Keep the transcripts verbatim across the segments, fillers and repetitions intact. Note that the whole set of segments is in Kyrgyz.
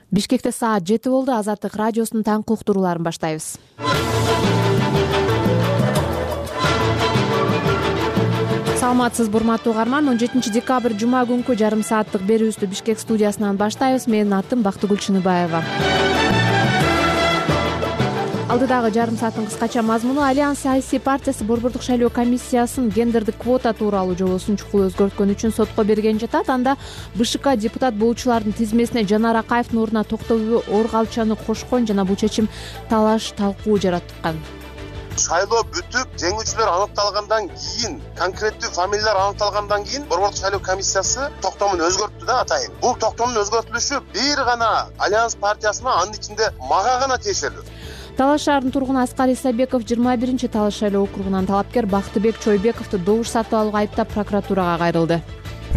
Бишкекте саат жети болду. Азаттык радиосунун таңкы уктурууларын баштайбыз. Саламатсызбы урматтуу угарман. он жетинчи декабрь жума күнкү жарым сааттык берүүбүздү Бишкек студиясынан баштайбыз. Менин атым Бактыгүл Чыныбаева. Алдыдагы жарым сааттын кыскача мазмуну: Альянс саясий партиясы борбордук шайлоо комиссиясынын гендердик квота тууралуу жобосун чукул өзгөрткөн үчүн сотко берген жатат. Анда БШК депутат болуучулардын тизмесине Жанар Акаевдин ордуна Токтообүй Оргалчаны кошкон жана бул чечим талаш талкуу жараткан. Шайлоо бүтүп, жеңүүчүлөр аныкталгандан кийин, конкреттүү фамилиялар аныкталгандан кийин борбордук шайлоо комиссиясы токтомун өзгөрттү да атайын. Бул токтомдун өзгөртүлүшү бир гана Альянс партиясына, анын ичинде мага гана тиешелүү. Талаш шаарынын тургуну Аскар Исабеков жыйырма биринчи Талаш шайлоо округунан талапкер Бактыбек Чойбековду добуш сатып алууга айыптап прокуратурага кайрылды.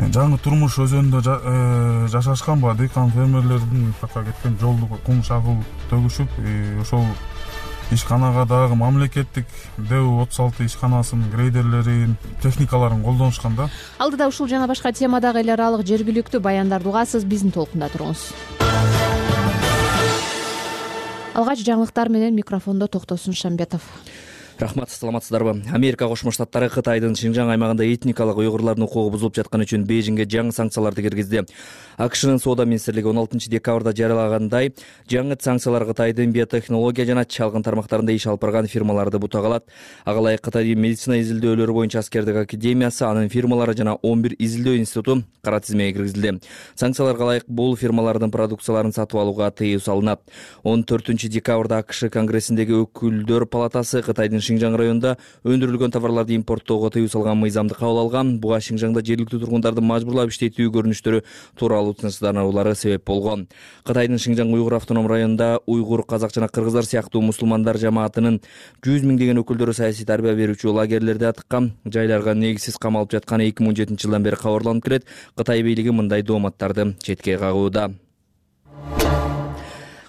Жаңы турмуш өзөнүндө жашашканба дыйкан фермерлердин такка кеткен жолду кум шагыл төгүшүп, ошол ишканага дагы мамлекеттик ДЭУ отуз алты ишканасынын грейдерлерин, техникаларын колдонушкан да. Алдыда ушул жана башка темадагы эл аралык жергиликтүү баяндарды угасыз. Биздин толкунда туруңуз. Алгач жаңылыктар менен микрофондо Токтосун Шамбетов. Рахмат, саламатсыздарбы? Америка Кошмо Штаттары Кытайдын Шинжаң аймагында этникалык уйгурлардын укугу бузулуп жатканы үчүн Бейжиңге жаңы санкцияларды киргизди. АКШнын соода министрлиги он алтынчы декабрда жарыялагандай, жаңы санкциялар Кытайдын биотехнология жана чалгын тармактарында иш алып барган фирмаларды бутак алат. Ага ылайык Кытайдын медицина изилдөөлөрү боюнча аскердик академиясы, анын фирмалары жана он бир изилдөө институту кара тизмеге киргизилди. Санкцияларга ылайык бул фирмалардын продукцияларын сатып алууга тыюу салынат. он төртүнчү декабрда АКШ Конгрессиндеги өкүлдөр палатасы Кытайдын Шинжаң районунда өндүрүлгөн товарларды импорттоого тыюу салган мыйзамды кабыл алган. Буга Шинжаңда жергиликтүү тургундарды мажбурлап иштетүү көрүнүштөрү тууралуу тынчсыздануулары себеп болгон. Кытайдын Шинжаң уйгур автоном районунда уйгур, казак жана кыргыздар сыяктуу мусулмандар жамаатынын жүз миңдеген өкүлдөрү саясий тарбия берүүчү лагерлерде атыккан, жайларга негизсиз камалып жатканы эки миң он жетинчи жылдан бери кабарланып келет. Кытай бийлиги мындай дооматтарды четке кагууда.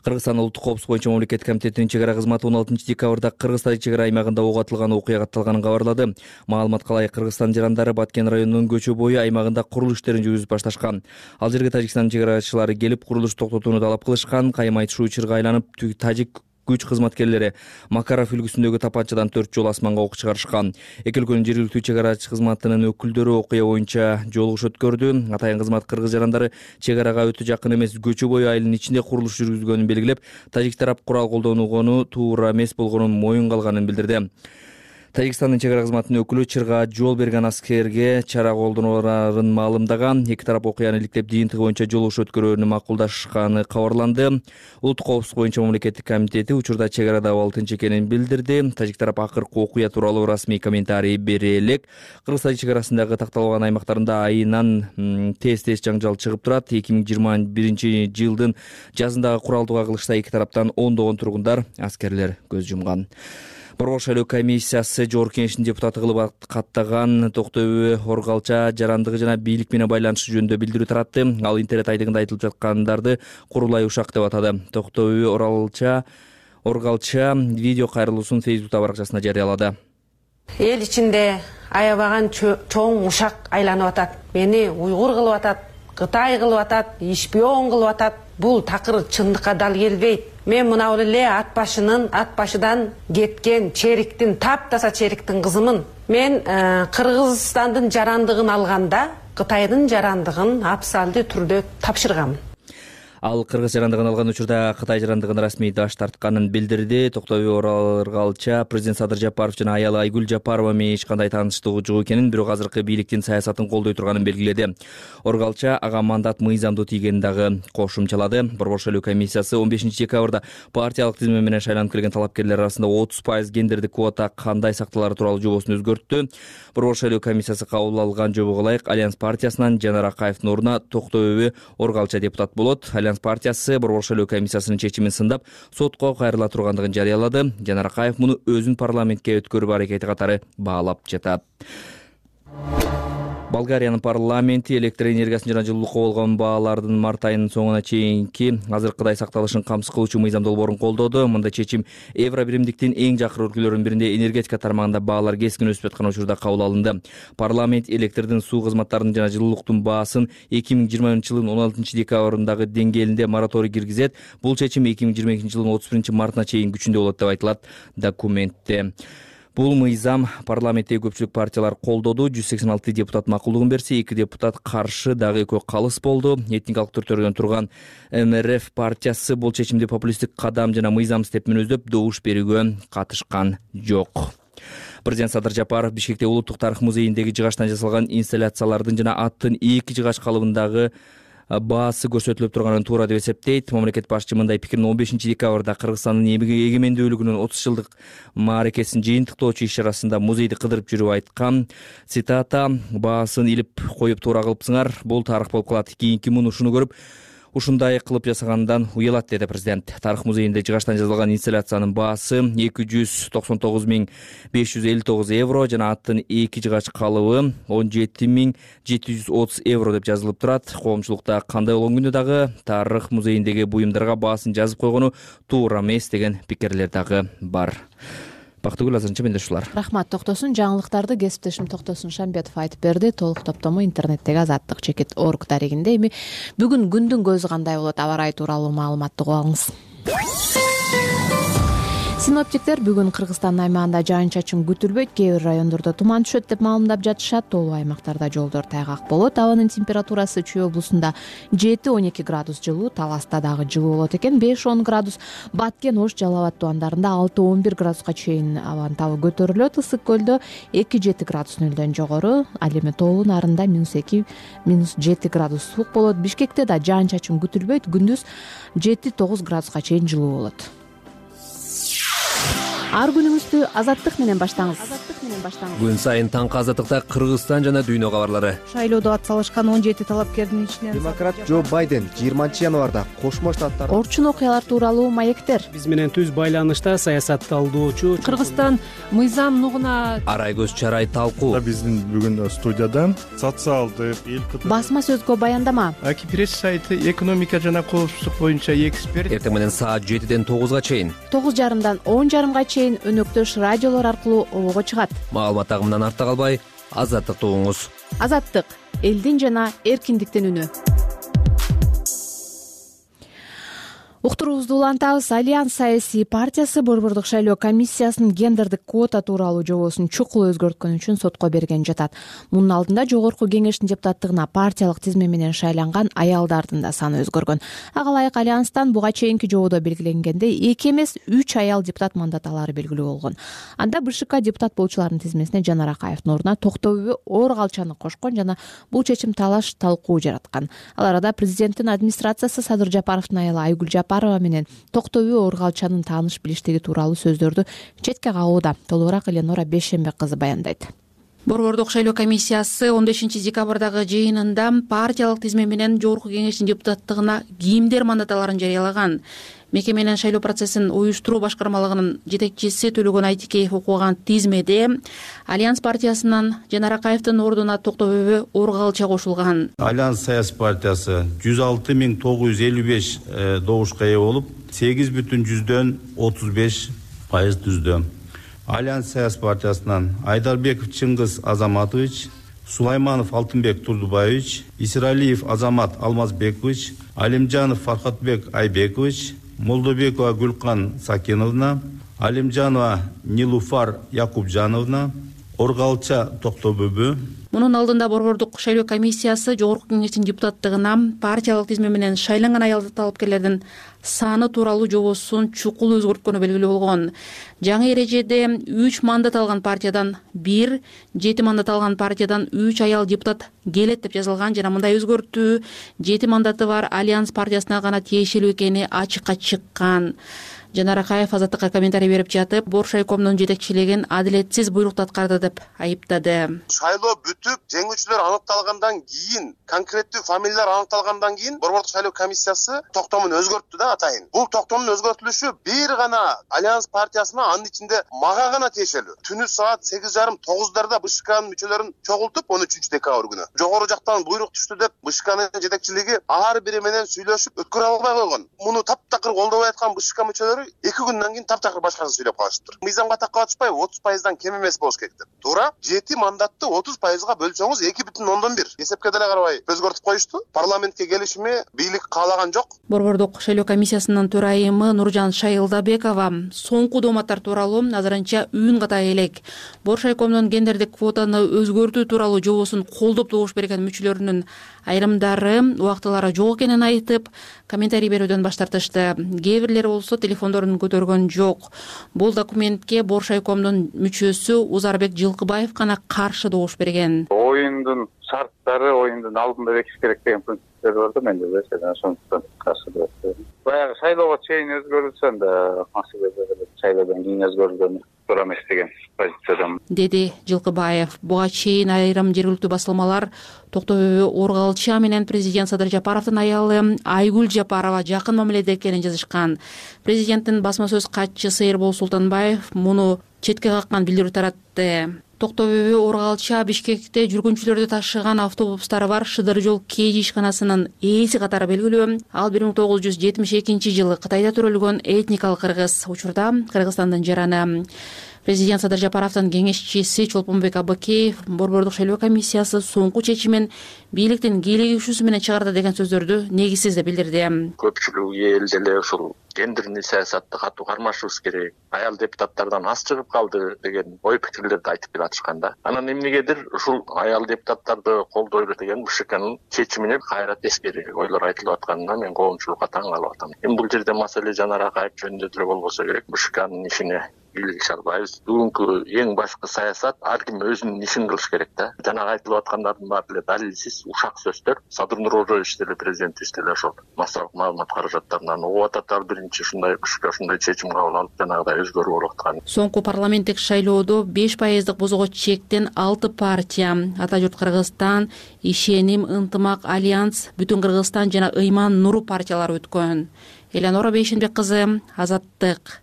Кыргызстан улуттук коопсуздук боюнча мамлекеттик комитетинин чек ара кызматы он алтынчы декабрда Кыргыз-Тажик чек ара аймагында ок атылган окуя катталганын кабарлады. Маалыматка ылайык, Кыргызстан жарандары Баткен районунун көчө бою аймагында курулуш иштерин жүргүзүп башташкан. Ал жерге Тажикстандын чек арачылары келип, курулушту токтотууну талап кылышкан. Каймай Шуучурга айланып, Тажик күч кызматкерлери Макаров үлгүсүндөгү тапанчадан төрт жолу асманга ок чыгарышкан. Эки өлкөнүн жергиликтүү чек арачы кызматынын өкүлдөрү окуя боюнча жолугуш өткөрдү. Атайын кызмат кыргыз жарандары чек арага өтө жакын эмес көчө бою айылынын ичинде курулуш жүргүзгөнүн белгилеп, Тажик тарап курал колдонууну туура эмес болгонун моюнга алганын билдирди. Тажикстандын чек ара кызматынын өкүлү чырга жол берген аскерге чара колдонууларын маалымдаган. Эки тарап окуяны иликтеп, жыйынтыгы боюнча жолугуш өткөрүүнү макулдашканы кабарланды. Улуттук коопсуздук боюнча мамлекеттик комитети учурда чек арада абал тынч экенин билдирди. Тажик тарап акыркы окуя тууралуу расмий комментарий бере элек. Кыргыз-Тажик чек арасындагы такталган аймактарында айынан тез-тез жаңжал чыгып турат. эки миң жыйырма биринчи жылдын жазындагы куралдуу кагылышта эки тараптан ондогон тургундар, аскерлер көз жумган. Борбордук шайлоо комиссиясы жогорку кеңештин депутаты кылып каттаган Токтообүй Оргалча жарандыгы жана бийлик менен байланышы жөнүндө билдирүү таратты. Ал интернет айтыгында айтылып жаткандарды курулай ушак деп атады. Токтообүй Оргалча Оргалча видео кайрылуусун Фейсбук баракчасына жарыялады. Эл ичинде аябаган чоң ушак айланып атат. Мени уйгур кылып атат, Кытай кылып атат, шпион кылып атат. Бул такыр чындыкка дал келбейт. Мен мына эле ат башынын, ат башыдан кеткен чериктин, таптаса чериктин кызымын. Мен Кыргызстандын жарандыгын алганда, Кытайдын жарандыгын абсалдуу түрдө тапшыргам. Ал кыргыз жарандыгын алган учурда Кытай жарандыгын расмий даш тартканын билдирди. Токтообүй Оргалча президент Садыр Жапаров жана аялы Айгүл Жапарова менен эч кандай тааныштыгы жок экенин, бирок азыркы бийликтин саясатын колдой турганын белгиледи. Оргалча ага мандат мыйзамдуу тийгенин дагы кошумчалады. Борбордук шайлоо комиссиясы он бешинчи декабрда партиялык тизме менен шайланып келген талапкерлер арасында отуз пайыз гендердик квота кандай сакталары тууралуу жобосун өзгөрттү. Борбордук шайлоо комиссиясы кабыл алган жобого ылайык Альянс партиясынан Жанар Акаевдин ордуна Токтообүй Оргалча депутат болот. Альянс партиясы борбордук шайлоо комиссиясынын чечимин сындап, сотко кайрыла тургандыгын жарыялады. Жанар Акаев муну өзүнүн парламентке өткөрүү аракети катары баалап жатат. Болгариянын парламенти электр энергиясын жана жылуулукка болгон баалардын март айынын соңуна чейинки азыркыдай сакталышын камсыз кылуучу мыйзам долбоорун колдоду. Мындай чечим Евро биримдиктин эң жакын өлкөлөрүнүн биринде энергетика тармагында баалар кескин өсүп жаткан учурда кабыл алынды. Парламент электрдин, суу кызматтарынын жана жылуулуктун баасын эки миң жыйырманчы жылдын он алтынчы декабрындагы деңгээлинде мораторий киргизет. Бул чечим эки миң жыйырма экинчи жылдын отуз биринчи мартына чейин күчүндө болот деп айтылат документте. Бул мыйзам парламенттеги көпчүлүк партиялар колдоду. жүз сексен алты депутат макулдугун берсе, эки депутат каршы, дагы экөө калыс болду. Этникалык түртөрдөн турган эм эр эф партиясы бул чечимди популисттик кадам жана мыйзамсыз деп мүнөздөп, добуш берүүгө катышкан жок. Президент Садыр Жапаров Бишкекте Улуттук тарых музейиндеги жыгачтан жасалган инсталляциялардын жана аттын эки жыгач калыбындагы баасы көрсөтүлүп турганын туура деп эсептейт. Мамлекет башчы мындай пикирин он бешинчи декабрда Кыргызстандын эгемендүүлүгүнүн отуз жылдык мааракесин жыйынтыктоочу иш чарасында музейди кыдырып жүрүп айткан. Цитата: "Баасын илип коюп туура кылыпсыңар. Бул тарых болуп калат. Кийинки муну ушуну көрүп ушундай кылып жасагандан уялат", деди президент. Тарых музейинде жыгачтан жасалган инсталляциянын баасы эки жүз токсон тогуз миң беш жүз элүү тогуз евро жана аттын эки жыгач калыбы он жети миң жети жүз отуз евро деп жазылып турат. Коомчулукта кандай болгон күндө дагы тарых музейиндеги буюмдарга баасын жазып койгону туура эмес деген пикирлер дагы бар. Бактыгүл, азырынча менде ушулар. Рахмат. Токтосун жаңылыктарды кесиптешим Токтосун Шамбетов айтып берди. Толук топтому интернеттеги азаттык чекит точка орг дарегинде. Эми бүгүн күндүн көзү кандай болот, аба ырайы тууралуу маалыматты угуп алыңыз. Синоптиктер бүгүн Кыргызстандын аймагында жаан-чачын күтүлбөйт, кээ бир райондордо туман түшөт деп маалымдап жатышат. Тоолуу аймактарда жолдор тайгак болот. Абанын температурасы Чүй облусунда жети он эки градус жылуу, Таласта дагы жылуу болот экен, беш он градус. Баткен, Ош, Жалал абад тубандарында алты он бир градуска чейин абанын табы көтөрүлөт. Ысык көлдө эки жети градус нөлдөн жогору, ал эми тоолуу нарында минус эки минус жети градус суук болот. Бишкекте да жаан-чачын күтүлбөйт, күндүз жети тогуз градуска чейин жылуу болот. Ар күнүңүздү азаттык менен баштаңыз. Күн сайын таңкы азаттыкта Кыргызстан жана дүйнө кабарлары. Шайлоодо ат салышкан он жети талапкердин ичинен демократ Джо Байден жыйырманчы январда Кошмо Штаттар Орчун окуялар тууралуу маектер. Биз менен түз байланышта саясатталдоочу Кыргызстан мыйзам нугуна Арай көз чарай талкуу. Биздин бүгүн студияда социалдык эл басма сөзгө баяндама. Аки пресс сайты экономика жана коопсуздук боюнча эксперт. Эртең менен саат жетиден тогузга чейин, тогуз жарымдан он жарымга чейин өнөктөш радиолор аркылуу обого чыгат. Маалымат агымынан артта калбай, азаттыкты угуңуз. Азаттык — элдин жана эркиндиктин үнү. Уктуруубузду улантабыз. Альянс саясий партиясы Борбордук шайлоо комиссиясынын гендердик квота тууралуу жобосун чукул өзгөрткөн үчүн сотко берген жатат. Мунун алдында жогорку кеңештин депутаттыгына партиялык тизме менен шайланган аялдардын да саны өзгөргөн. Ага ылайык Альянстан буга чейинки жободо белгиленгендей эки эмес үч аял депутат мандат алары белгилүү болгон. Анда БШК депутат болчулардын тизмесине Жанар Акаевдин ордуна Токтообү Оор Калчаны кошкон жана бул чечим талаш талкуу жараткан. Ал арада президенттин администрациясы Садыр Жапаровдун аялы Айгүл Жапарова менен Токтообү Оор Калчанын тааныш билиштиги тууралуу сөздөрдү четке кагууда. Толугураак Эленора Бейшембек кызы баяндайт. Борбордук шайлоо комиссиясы он бешинчи декабрдагы жыйынында партиялык тизме менен жогорку кеңештин депутаттыгына кимдер мандат аларын жарыялаган. Меке менен шайлоо процессин уюштуруу башкармалыгынын жетекчиси Төлөгөн Айтикеев окуган тизмеде Альянс партиясынан Жанар Акаевдин ордуна Токтообү Оор Калча кошулган. Альянс саясий партиясы жүз алты миң тогуз жүз элүү беш добушка ээ болуп, сегиз бүтүн жүздөн отуз беш пайыз түздү. Альянс саясий партиясынан Айдарбеков Чыңгыз Азаматович, Сулайманов Алтынбек Турдубаевич, Исиралиев Азамат Алмазбекович, Алимжанов Фархатбек Айбекович, Молдобекова Гүлкан Сакиновна, Алимжанова Нилуфар Якубжановна, Оор Калча Токтообү. Мунун алдында Борбордук шайлоо комиссиясы жогорку кеңештин депутаттыгына партиялык тизме менен шайланган аял талапкерлердин саны тууралуу жобосун чукул өзгөрткөнү белгилүү болгон. Жаңы эрежеде үч мандат алган партиядан бир, жети мандат алган партиядан үч аял депутат келет деп жазылган жана мындай өзгөртүү жети мандаты бар Альянс партиясына гана тиешелүү экени ачыкка чыккан. Жанар Акаев Азаттыкка комментарий берип жатып, Борш райкомунун жетекчилигин адилетсиз буйрукту аткарды деп айыптады. Шайлоо бүтүп, жеңүүчүлөр аныкталгандан кийин, конкреттүү фамилиялар аныкталгандан кийин Борбордук шайлоо комиссиясы токтомун өзгөрттү да атайын. Бул токтомдун өзгөртүлүшү бир гана Альянс партиясына, анын ичинде мага гана тиешелүү. Түнү саат сегиз жарым тогуздарда БШКнын мүчөлөрүн чогултуп, он үчүнчү декабрь күнү жогору жактан буйрук түштү деп БШКнын жетекчилиги ар бири менен сүйлөшүп өткөрө албай койгон. Муну таптакыр колдобой аткан БШК мүчөлөрү эки күндөн кийин таптакыр башкасын сүйлөп калышыптыр. Мыйзамга так катышпай отуз пайыздан кем эмес болуш керек деп. Туура жети мандатты отуз пайызга бөлсөңүз эки бүтүн ондон бир. Эсепке деле карабай өзгөртүп коюшту. Парламентке келишими бийлик каалаган жок. Борбордук шайлоо комиссиясынын төрайымы Нуржан Шайылдабекова соңку дооматтар тууралуу азырынча үн ката элек. Борш райкомунун гендердик квотаны өзгөртүү тууралуу жобосун колдоп добуш берген мүчөлөрүнүн айрымдары убактылары жок экенин айтып, комментарий берүүдөн баш тартышты. Кээ бирлери болсо телефондорун көтөргөн жок. Бул документке Борш райкомунун мүчөсү Узарбек Жылкыбаев гана каршы добуш берген. Оюндун шарттары оюндун алдында бекиш керек деген принциптер бар да, менде бешеден ошондуктан каршы деп. Баягы шайлоого чейин өзгөрүлсө да, шайлоодон кийин өзгөрүлгөн туура эмес деген позициядамын, деди Жылкыбаев. Буга чейин айрым жергиликтүү басылмалар Токтогүбө Оргалча менен президент Садыр Жапаровдун аялы Айгүл Жапарова жакын мамиледе экенин жазышкан. Президенттин басма сөз катчысы Эрбол Султанбаев муну четке каккан билдирүү таратты. Токтогүбө Оргалча Бишкекте жүргүнчүлөрдү ташыган автобустары бар Шыдыр жол КЖ ишканасынын ээси катары белгилүү. Ал бир миң тогуз жүз жетимиш экинчи жылы Кытайда төрөлгөн этникалык кыргыз, учурда Кыргызстандын жараны. Президент Садыр Жапаровдун кеңешчиси Чолпонбек Абыкеев Борбордук шайлоо комиссиясы соңку чечимин бийликтин кийлигишүүсү менен чыгарды деген сөздөрдү негизсиз деп билдирди. Көпчүлүк эл деле ушул гендерный саясатты катуу кармашыбыз керек, аял депутаттардан аз чыгып калды деген ой пикирлерди айтып келатышкан да. Анан эмнегедир ушул аял депутаттарды колдойлу деген БШКнын чечимине кайра тескери ойлор айтылып атканына мен коомчулукка таң калып атам. Эми бул жерде маселе Жанар Акаев жөнүндө деле болбосо керек, БШКнын ишине кийлигише албайбыз. Бүгүнкү эң башкы саясат ар ким өзүнүн ишин кылыш керек да. Жанагы айтылып аткандардын баары деле далилсиз ушак сөздөр. Садыр Нурожоевич деле президентибиз деле ошол массалык маалымат каражаттарынан угуп атат, ар биринчи ушундай БШК ушундай чечим кабыл алып жанагыдай өзгөрүү болуп аткан. Соңку парламенттик шайлоодо беш пайыздык бозого чектен алты партия Ата журт Кыргызстан, Ишеним, Ынтымак, Альянс, Бүтүн Кыргызстан жана Ыйман Нуру партиялары өткөн. Эленора Бейшенбек кызы, Азаттык.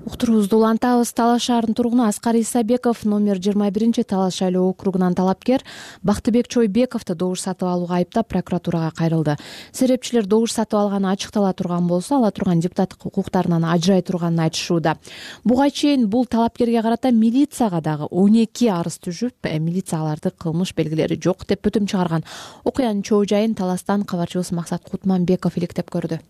Уктуруубузду улантабыз. Талас шаарынын тургуну Аскар Исабеков номер жыйырма биринчи Талас шайлоо округунан талапкер Бактыбек Чойбековду добуш сатып алууга айыптап прокуратурага кайрылды. Серепчилер добуш сатып алганы ачыктала турган болсо, ала турган депутаттык укуктарынан ажырай турганын айтышууда. Буга чейин бул талапкерге карата милицияга дагы он эки арыз түшүп, милиция аларды кылмыш белгилери жок деп бүтүм чыгарган. Окуянын чоо жайын Таластан кабарчыбыз Максат Кутманбеков иликтеп көрдү.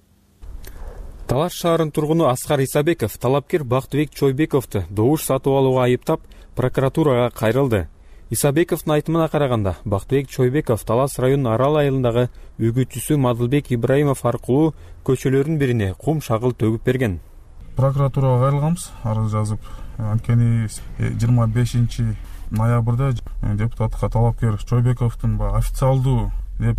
Талас шаарынын тургуну Аскар Исабеков талапкер Бактыбек Чойбековду добуш сатып алууга айыптап прокуратурага кайрылды. Исабековдун айтымына караганда, Бактыбек Чойбеков Талас районунун Арал айылындагы үгүтчүсү Мадылбек Ибраимов аркылуу көчөлөрдүн бирине кум шагыл төгүп берген. Прокуратурага кайрылганбыз, арыз жазып. Анткени жыйырма бешинчи ноябрда депутатка талапкер Чойбековдун официалдуу деп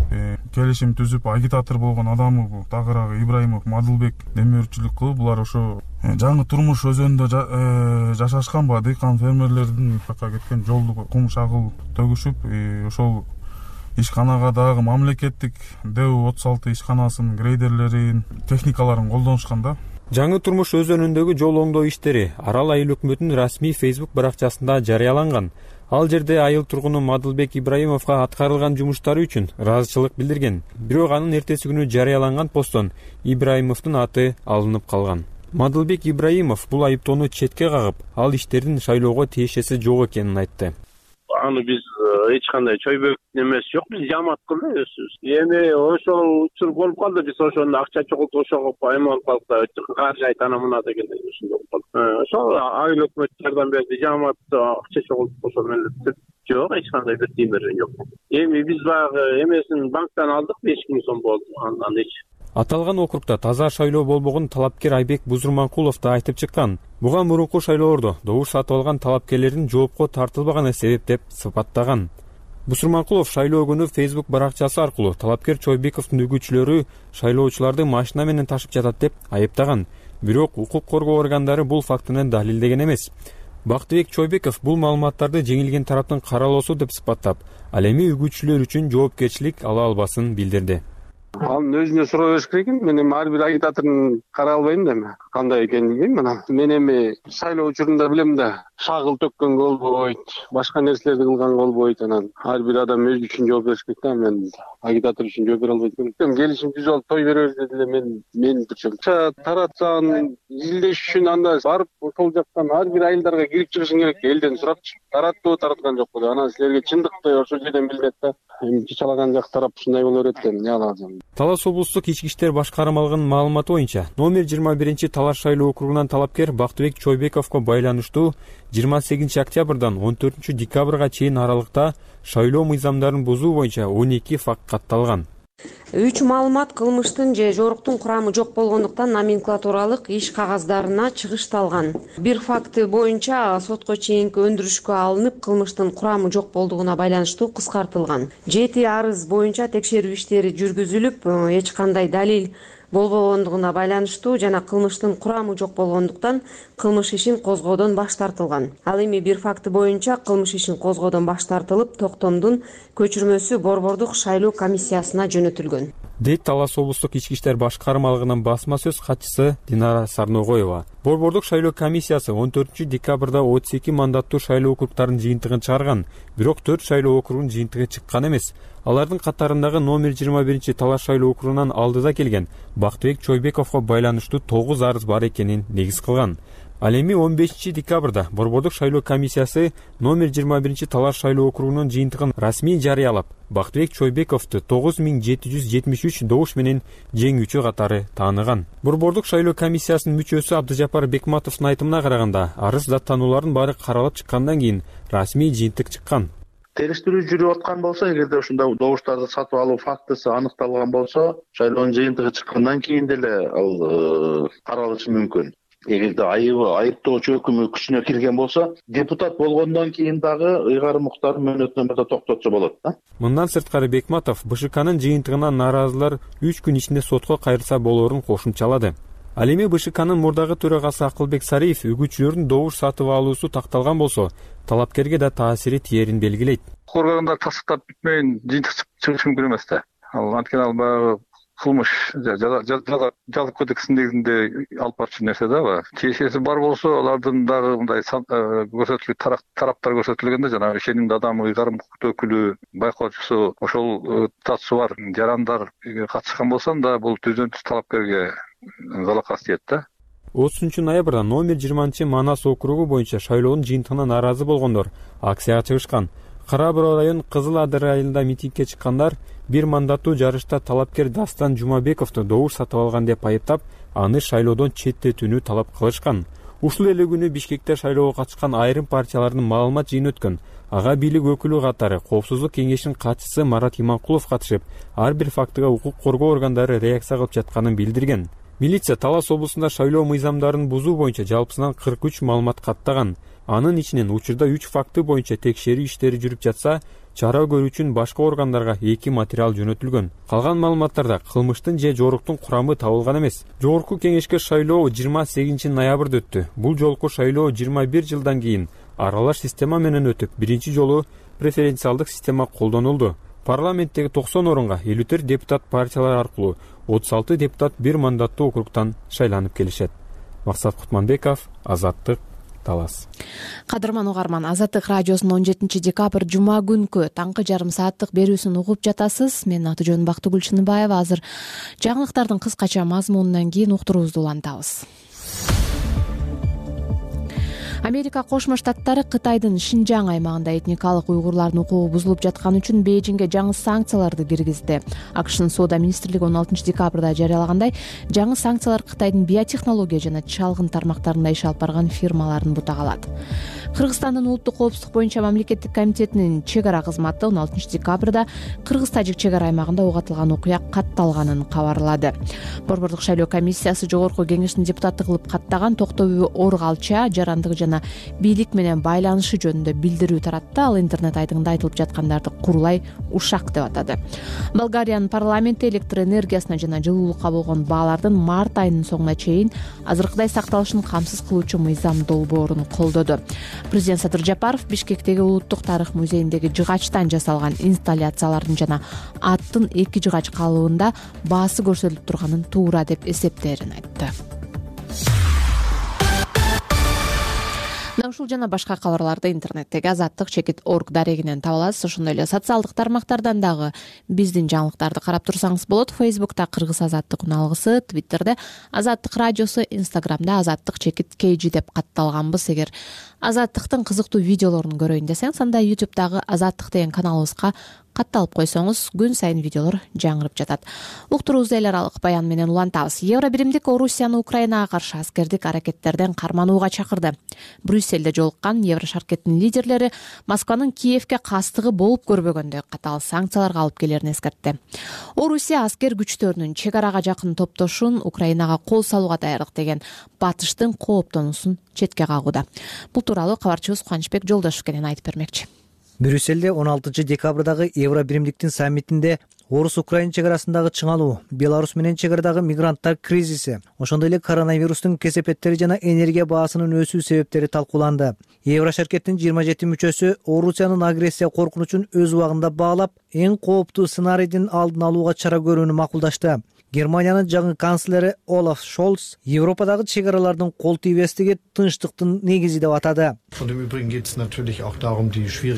келишим түзүп агитатор болгон адамы бул тагыраагы Ибраимов Мадылбек демөөрчүлүк кылып, булар ошо жаңы турмуш өзөнүндө жашашканбы, дыйкан фермерлердин жака кеткен жолду кум шагыл төгүшүп, ошол ишканага дагы мамлекеттик Д У отуз алты ишканасынын грейдерлерин, техникаларын колдонушкан да. Жаңы турмуш өзөнүндөгү жол оңдоо иштери Арал айыл өкмөтүнүн расмий Facebook баракчасында жарыяланган. Ал жерде айыл тургуну Мадылбек Ибраимовго аткарылган жумуштары үчүн ыраазычылык билдирген. Бирок анын эртеси күнү жарыяланган посттон Ибраимовдун аты алынып калган. Мадылбек Ибраимов бул айыптоону четке кагып, ал иштердин шайлоого тиешеси жок экенин айтты. Аны биз эч кандай Чойбековдун эмеси жок, биз жамаат кылды өзүбүз. Эми ошол учур болуп калды, биз ошону акча чогултуп ошого эме болуп калдык да, каржы айтана мына дегендей ушундай болуп калды. Ошол айыл өкмөт жардам берди, жамаат акча чогултуп ошол менен жок, эч кандай бир тиын берген жок. Эми биз баягы эмесин банктан алдык, беш миң сом болду, андан эч. Аталган округда таза шайлоо болбогон талапкер Айбек Бузурманкулов да айтып чыккан. Буга мурунку шайлоолордо добуш сатып алган талапкерлердин жоопко тартылбаганы себеп деп сыпаттаган. Бусурманкулов шайлоо күнү Facebook баракчасы аркылуу талапкер Чойбековдун үгүтчүлөрү шайлоочуларды машина менен ташып жатат деп айыптаган. Бирок укук коргоо органдары бул фактыны далилдеген эмес. Бактыбек Чойбеков бул маалыматтарды жеңилген тараптын каралоосу деп сыпаттап, ал эми үгүтчүлөр үчүн жоопкерчилик ала албасын билдирди. Анын өзүнө суроо бериш керек экен. Мен эми ар бир агитатордун карай албайм да эми кандай экенин билбейм анан. Мен эми шайлоо учурунда билем да, шагыл төккөнгө болбойт, башка нерселерди кылганга болбойт. Анан ар бир адам өзү үчүн жооп бериш керек да. Мен агитатор үчүн жооп бере албайт экенмин. Келишим түзүп алып той беребиз деди эле мен мен турчум. Таратсаң изилдеш үчүн анда барып ошол жактан ар бир айылдарга кирип чыгышың керек. Элден сурапчы. Тараттыбы, тараткан жокпу деп. Анан силерге чындыкты ошол жерден билинет да. Эми чачалаган жак тарап ушундай боло берет экен. Эмне алам? Талас облустук ички иштер башкармалыгынын маалыматы боюнча номер жыйырма биринчи Талаш шайлоо округунан талапкер Бактыбек Чойбековго байланыштуу жыйырма сегизинчи октябрдан он төртүнчү декабрга чейин аралыкта шайлоо мыйзамдарын бузуу боюнча он эки факт катталган. Үч маалымат кылмыштын же жоруктун курамы жок болгондуктан номенклатуралык иш кагаздарына чыгышталган. Бир факты боюнча сотко чейинки өндүрүшкө алынып, кылмыштын курамы жок болдугуна байланыштуу кыскартылган. Жети арыз боюнча текшерүү иштери жүргүзүлүп, эч кандай далил болбогондугуна байланыштуу жана кылмыштын курамы жок болгондуктан кылмыш ишин козгоодон баш тартылган. Ал эми бир факты боюнча кылмыш ишин козгоодон баш тартылып, токтомдун көчүрмөсү Борбордук шайлоо комиссиясына жөнөтүлгөн, дейт Талас облустук ички иштер башкармалыгынын басма сөз катчысы Динара Сарногоева. Борбордук шайлоо комиссиясы он төртүнчү декабрда отуз эки мандаттуу шайлоо округтарынын жыйынтыгын чыгарган, бирок төрт шайлоо округунун жыйынтыгы чыккан эмес. Алардын катарындагы номер жыйырма биринчи Талаш шайлоо округунан алдыда келген Бактыбек Чойбековго байланыштуу тогуз арыз бар экенин негиз кылган. Ал эми он бешинчи декабрда Борбордук шайлоо комиссиясы номер жыйырма биринчи Талаш шайлоо округунун жыйынтыгын расмий жарыялап, Бактыбек Чойбековду тогуз миң жети жүз жетимиш үч добуш менен жеңүүчү катары тааныган. Борбордук шайлоо комиссиясынын мүчөсү Абдыжапар Бекматовдун айтымына караганда, арыз даттануулардын баары каралып чыккандан кийин расмий жыйынтык чыккан. Териштирүү жүрүп аткан болсо, эгерде ушундай добуштарды сатып алуу фактысы аныкталган болсо, шайлоонун жыйынтыгы чыккандан кийин деле ал каралышы мүмкүн. Эгерде айыбы, айыптоочу өкүмү күчүнө кирген болсо, депутат болгондон кийин дагы ыйгарым укуктарын мөөнөтүнө токтотсо болот да. Мындан сырткары Бекматов БШКнын жыйынтыгынан нааразылар үч күн ичинде сотко кайрылса болоорун кошумчалады. Ал эми БШКнын мурдагы төрагасы Акылбек Сариев үгүтчүлөрдүн добуш сатып алуусу такталган болсо, талапкерге да таасири тиерин белгилейт. Коргондор тасыктап бүтмөйүн жыйынтык чыгышы мүмкүн эмес да. Ал анткени ал баягы кылмыш жаза кодексинин негизинде алып барчу нерсе да. Тиешеси бар болсо, алардын дагы мындай көрсөтүлгөн тараптар көрсөтүлгөндө, жанагы ишенимдүү адам, ыйгарым укук өкүлү, байкоочусу, ошол татышы бар жарандар катышкан болсо, анда бул түздөн түз талапкерге залакас тиет да. отузунчу ноябрда номер жыйырманчы Манас округу боюнча шайлоонун жыйынтыгынан нааразы болгондор акцияга чыгышкан. Кара Буруу район Кызыл Адыр айылында митингге чыккандар бир мандаттуу жарышта талапкер Дастан Жумабековду добуш сатып алган деп айыптап, аны шайлоодон четтетүүнү талап кылышкан. Ушул эле күнү Бишкекте шайлоого катышкан айрым партиялардын маалымат жыйыны өткөн. Ага бийлик өкүлү катары Коопсуздук кеңешинин катчысы Марат Иманкулов катышып, ар бир фактыга укук коргоо органдары реакция кылып жатканын билдирген. Милиция Талас облусунда шайлоо мыйзамдарын бузуу боюнча жалпысынан кырк үч маалымат каттаган. Анын ичинен учурда үч факты боюнча текшерүү иштери жүрүп жатса, чара көрүү үчүн башка органдарга эки материал жөнөтүлгөн. Калган маалыматтарда кылмыштын же жоруктун курамы табылган эмес. Жогорку кеңешке шайлоо жыйырма сегизинчи ноябрда өттү. Бул жолку шайлоо жыйырма бир жылдан кийин аралаш система менен өтүп, биринчи жолу преференциалдык система колдонулду. Парламенттеги токсон орунга элүү төрт депутат партиялар аркылуу отуз алты депутат бир мандаттуу округтан шайланып келишет. Максат Кутманбеков, Азаттык, Талас. Кадырман угарман, Азаттык радиосунун он жетинчи декабрь жума күнкү таңкы жарым сааттык берүүсүн угуп жатасыз. Менин аты жөнүм Бактыгүл Чыныбаева. Азыр жаңылыктардын кыскача мазмунунан кийин уктуруубузду улантабыз. Америка Кошмо Штаттары Кытайдын Шинжаң аймагында этникалык уйгурлардын укугу бузулуп жатканы үчүн Бейжиңге жаңы санкцияларды киргизди. АКШнын соода министрлиги он алтынчы декабрда жарыялагандай, жаңы санкциялар Кытайдын биотехнология жана чалгын тармактарында иш алып барган фирмаларын бутагалат. Кыргызстандын улуттук коопсуздук боюнча мамлекеттик комитетинин чек ара кызматы он алтынчы декабрда Кыргыз-Тажик чек ара аймагында ок атылган окуя катталганын кабарлады. Борбордук шайлоо комиссиясы жогорку кеңештин депутаты кылып каттаган Токтобү Оргалча жарандыгы жана жана бийлик менен байланышы жөнүндө билдирүү таратты. Ал интернет айтыгында айтылып жаткандарды курулай ушак деп атады. Болгариянын парламенти электр энергиясына жана жылуулукка болгон баалардын март айынын соңуна чейин азыркыдай сакталышын камсыз кылуучу мыйзам долбоорун колдоду. Президент Садыр Жапаров Бишкектеги Улуттук тарых музейиндеги жыгачтан жасалган инсталляциялардын жана аттын эки жыгач калыбында баасы көрсөтүлүп турганын туура деп эсептээрин айтты. Ушул жана башка кабарларды интернеттеги азаттык чекит орг дарегинен таба аласыз. Ошондой эле социалдык тармактардан дагы биздин жаңылыктарды карап турсаңыз болот. Фейсбукта Кыргыз азаттык уналгысы, Твиттерде Азаттык радиосу, Инстаграмда Азаттык чекит kg деп катталганбыз. Эгер Азаттыктын кызыктуу видеолорун көрөйүн десеңиз, анда YouTube'дагы Азаттык деген каналыбызга катталып койсоңуз, күн сайын видеолор жаңырып жатат. Уктуруубузду эл аралык баян менен улантабыз. Евро биримдик Орусияны Украинага каршы аскердик аракеттерден карманууга чакырды. Брюссельде жолуккан Евро шаркеттин лидерлери Москванын Киевке кастыгы болуп көрбөгөндөй катаал санкцияларга алып келерин эскертти. Орусия аскер күчтөрүнүн чек арага жакын топтошун Украинага кол салууга даярдык деген батыштын кооптонуусун четке кагууда. Бул тууралуу кабарчыбыз Кубанычбек Жолдошев кенен айтып бермекчи. Брюссельде он алтынчы декабрдагы Евро биримдиктин саммитинде Орус-Украин чек арасындагы чыңалуу, Беларусь менен чек арадагы мигранттар кризиси, ошондой эле коронавирустун кесепеттери жана энергия баасынын өсүү себептери талкууланды. Евро шаркеттин жыйырма жети мүчөсү Орусиянын агрессия коркунучун өз убагында баалап, эң кооптуу сценарийдин алдын алууга чара көрүүнү макулдашты. Германиянын жаңы канцлери Олаф Шолц Европадагы чек аралардын кол тийбестиги тынчтыктын негизи деп атады.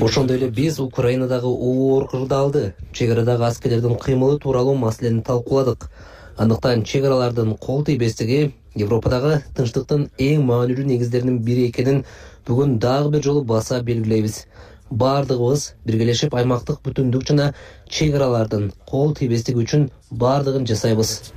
Ошондой эле биз Украинадагы оор кырдаалды, чек арадагы аскерлердин кыймылы тууралуу маселени талкууладык. Андыктан чек аралардын кол тийбестиги Европадагы тынчтыктын эң маанилүү негиздеринин бири экенин бүгүн дагы бир жолу баса белгилейбиз. Бардыгыбыз биргелешип аймактык бүтүндүк жана чек аралардын кол тийбестиги үчүн бардыгын жасайбыз,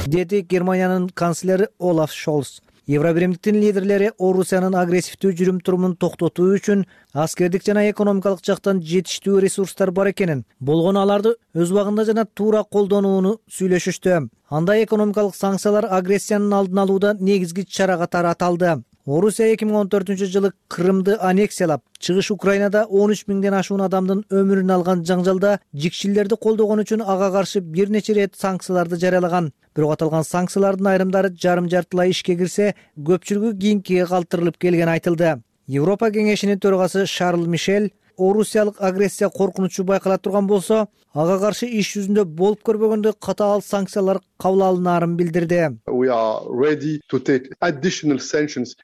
деди Германиянын канцлери Олаф Шолц. Евро биримдиктин лидерлери Орусиянын агрессивдүү жүрүм-турумун токтотуу үчүн аскердик жана экономикалык жактан жетиштүү ресурстар бар экенин, болгону аларды өз убагында жана туура колдонууну сүйлөшүштү. Анда экономикалык санкциялар агрессиянын алдын алууда негизги чара катары аталды. Орусия эки миң он төртүнчү жылы Крымды аннексиялап, чыгыш Украинада он үч миңден ашуун адамдын өмүрүн алган жаңжалда жикшилерди колдогон үчүн ага каршы бир нече ирет санкцияларды жарыялаган. Бирок аталган санкциялардын айрымдары жарым-жартылай ишке кирсе, көпчүлүгү кийинкиге калтырылып келгени айтылды. Европа кеңешинин төрагасы Шарл Мишель Орусиялык агрессия коркунучу байкала турган болсо, ага каршы иш жүзүндө болуп көрбөгөндөй катаал санкциялар кабыл алынаарын билдирди.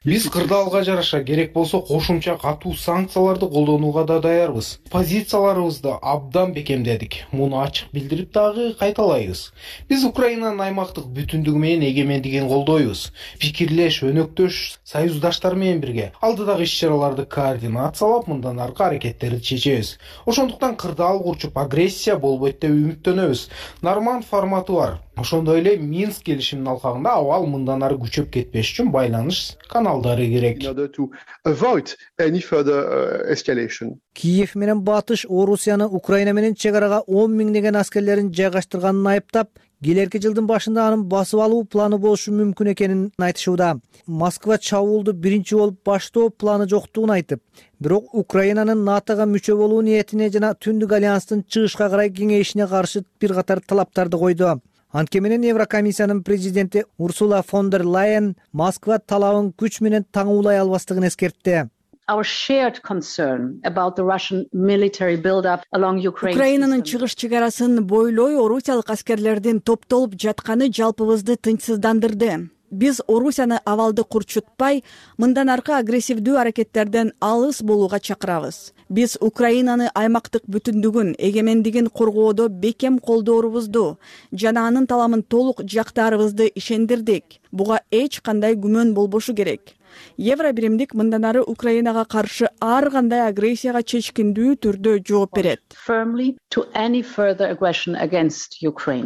Биз кырдаалга жараша керек болсо кошумча катуу санкцияларды колдонууга да даярбыз. Позицияларыбызды абдан бекемдедик. Муну ачык билдирип дагы кайталайбыз. Биз Украинанын аймактык бүтүндүгү менен эгемендигин колдойбуз. Пикирлеш, өнөктөш союздаштар менен бирге алдыдагы иш-чараларды координациялап, мындан аркы аракеттерди чечебиз. Ошондуктан кырдаал курчуп агрессия болбойт деп үмүттөнөбүз. Норманд форматы бар. Ошондой эле Минск келишиминин алкагында абал мындан ары күчөп кетпеш үчүн байланыш каналдары керек. Киев менен Батыш Орусияны Украина менен чек арага он миңдеген аскерлерин жайгаштырганын айыптап, келерки жылдын башында анын басып алуу планы болушу мүмкүн экенин айтышууда. Москва чабуулду биринчи болуп баштоо планы жоктугун айтып, бирок Украинанын НАТОга мүчө болуу ниетине жана Түндүк альянстын чыгышка карай кеңейишине каршы бир катар талаптарды койду. Анткени менен Еврокомиссиянын президенти Урсула фон дер Лайен Москва талабын күч менен таңуулай албастыгын эскертти. Украинанын чыгыш чек арасын бойлой орусиялык аскерлердин топтолуп жатканы жалпыбызды тынчсыздандырды. Биз Орусияны абалды курчутпай, мындан аркы агрессивдүү аракеттерден алыс болууга чакырабыз. Биз Украинаны аймактык бүтүндүгүн, эгемендигин коргоодо бекем колдоорубузду жана анын таламын толук жактаарыбызды ишендирдик. Буга эч кандай күмөн болбошу керек. Евро биримдик мындан ары Украинага каршы ар кандай агрессияга чечкиндүү түрдө жооп берет.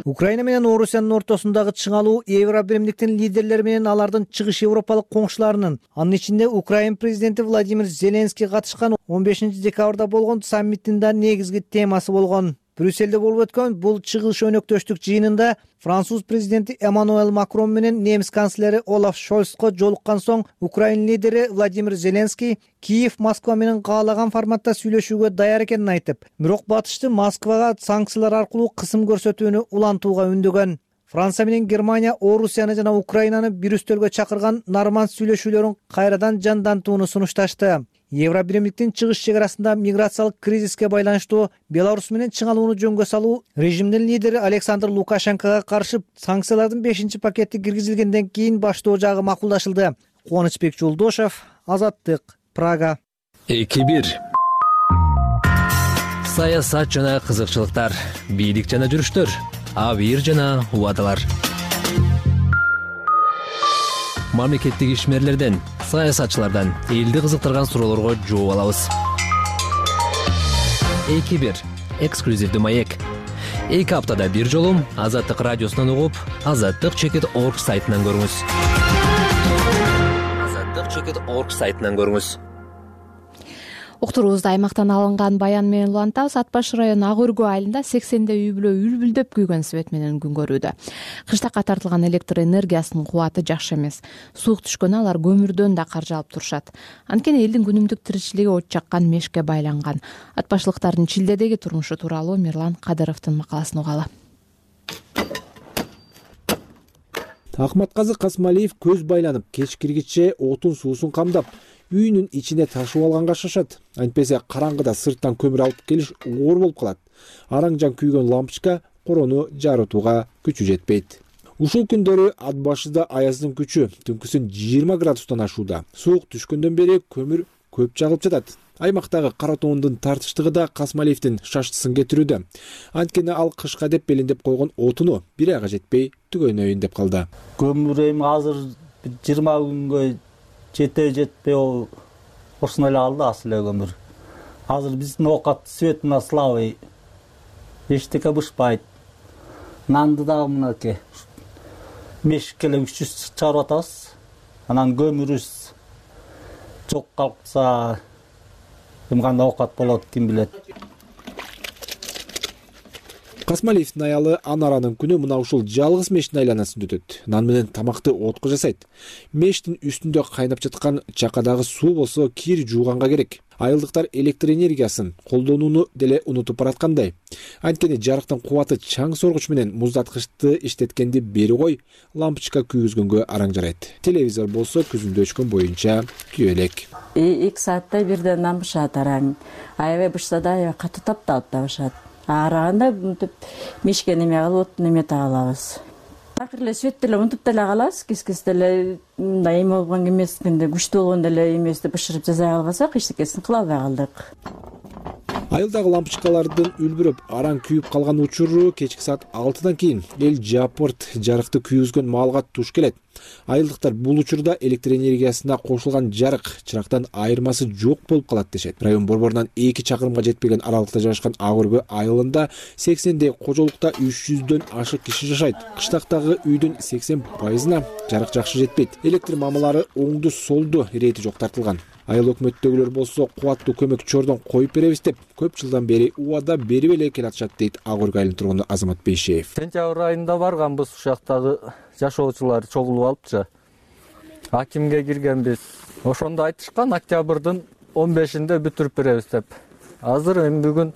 Украина менен Орусиянын ортосундагы чыңалуу Евро биримдиктин лидерлери менен алардын чыгыш европалык коңшуларынын, анын ичинде Украин президенти Владимир Зеленский катышкан он бешинчи декабрда болгон саммиттин да негизги темасы болгон. Брюссельде болуп өткөн бул чыгыш өнөктөштүк жыйынында Француз президенти Эммануэль Макрон менен немис канцлери Олаф Шольцко жолуккан соң Украина лидери Владимир Зеленский Киев Москва менен каалаган форматта сүйлөшүүгө даяр экенин айтып, бирок батышты Москвага санкциялар аркылуу кысым көрсөтүүнү улантууга үндөгөн. Франция менен Германия Орусияны жана Украинаны бир үстөлгө чакырган норманд сүйлөшүүлөрүн кайрадан жандантууну сунушташты. Евробиримдиктин чыгыш чек арасында миграциялык кризиске байланыштуу Беларусь менен чыңалууну жөнгө салуу режимдин лидери Александр Лукашенкого каршы санкциялардын бешинчи пакети киргизилгенден кийин баштоо жагы макулдашылды. Кубанычбек Жолдошев, Азаттык, Прага. эки бир саясат жана кызыкчылыктар, бийлик жана жүрүштөр, абийир жана убадалар. Мамлекеттик ишмерлерден, саясатчылардан элди кызыктырган суроолорго жооп алабыз. эки бир эксклюзивдүү маек. эки аптада бир жолу Азаттык радиосунан угуп, азаттык чекит орг сайтынан көрүңүз. азаттык чекит орг сайтынан көрүңүз. Уктуруубузда аймактан алынган баян менен улантабыз. Ат Баш району Ак Өргө айылында сексенде үй бүлө үлбүлдөп күйгөн свет менен күн көрүүдө. Кыштакка тартылган электр энергиясынын кубаты жакшы эмес. Суук түшкөндө алар көмүрдөн да каржы алып турушат. Анткени элдин күнүмдүк тиричилиги от жаккан мешке байланган. Ат башлыктардын Чилдедеги турмушу тууралуу Мирлан Кадыровдун макаласын угалы. Акматказы Касмалиев көз байланып, кечкиргиче отун суусун камдап, үйүнүн ичине ташып алганга шашат. Антпесе караңгыда сырттан көмүр алып келиш оор болуп калат. Араң-жан күйгөн лампочка корону жарытууга күчү жетпейт. Ушул күндөрү Ат Башыда аяздын күчү түнкүсүн жыйырма градустан ашууда. Суук түшкөндөн бери көмүр көп жагылып жатат. Аймактагы кара тоондун тартыштыгы да Касмалиевдин шаштысын кетирүүдө. Анткени ал кышка деп белиндеп койгон отуну бир айга жетпей түгөнөйүн деп калды. Көмүр эми азыр жыйырма күнгө жете жетпей ол ушуну эле алды асыл эле көмүр. Азыр биздин оокат свет мына слабый. Эчтеке бышпайт. Нанды дагы мынакей мешикке эле үч жүз чыгарып атабыз. Анан көмүрүбүз жок калса ким кандай оокат болот, ким билет. Касмалиевдин аялы Анаранын күнү мына ушул жалгыз мештин айланасында өтөт. Нан менен тамакты отко жасайт. Мештин үстүндө кайнап жаткан чакадагы суу болсо кир жууганга керек. Айылдыктар электр энергиясын колдонууну деле унутуп бараткандай. Анткени жарыктын кубаты чаң соргуч менен муздаткычты иштеткенди бери кой, лампочка күйгүзгөнгө араң жарайт. Телевизор болсо күзүндө өчкөн боюнча күйө элек. эки саатта бирден нан бышат араң. Аябай бышса да аябай катуу тапталып да бышат. Араганда мынтип мешке неме кылып, неме таалабыз. Такыр эле свет деле мынтип деле калабыз, кис-кис деле мындай эме болгон эмес, кенде күчтүү болгон деле эмес деп бышырып жасай албасак, эчтекесин кыла албай калдык. Айылдагы лампочкалардын үлбүрөп, араң күйүп калган учуру кечки саат алтыдан кийин эл жапырт жарыкты күйгүзгөн маалга туш келет. Айылдыктар бул учурда электр энергиясына кошулган жарык чырактан айырмасы жок болуп калат дешет. Район борборунан эки чакырымга жетпеген аралыкта жайгашкан Ак Өргө айылында сексендей кожолукта үч жүздөн ашык киши жашайт. Кыштактагы үйдүн сексен пайызына жарык жакшы жетпейт. Электр мамалары оңду солду ирети жок тартылган. Айыл өкмөттөгүлөр болсо кубаттуу көмөк чордон коюп беребиз деп көп жылдан бери убада берип эле келатышат дейт Ак Өргө айылынын тургуну Азамат Бейшеев. Сентябрь айында барганбыз, ушактагы жашоочулар чогулуп алыпчы. Акимге киргенбиз. Ошондо айтышкан октябрдын он бешинде бүтүрүп беребиз деп. Азыр эми бүгүн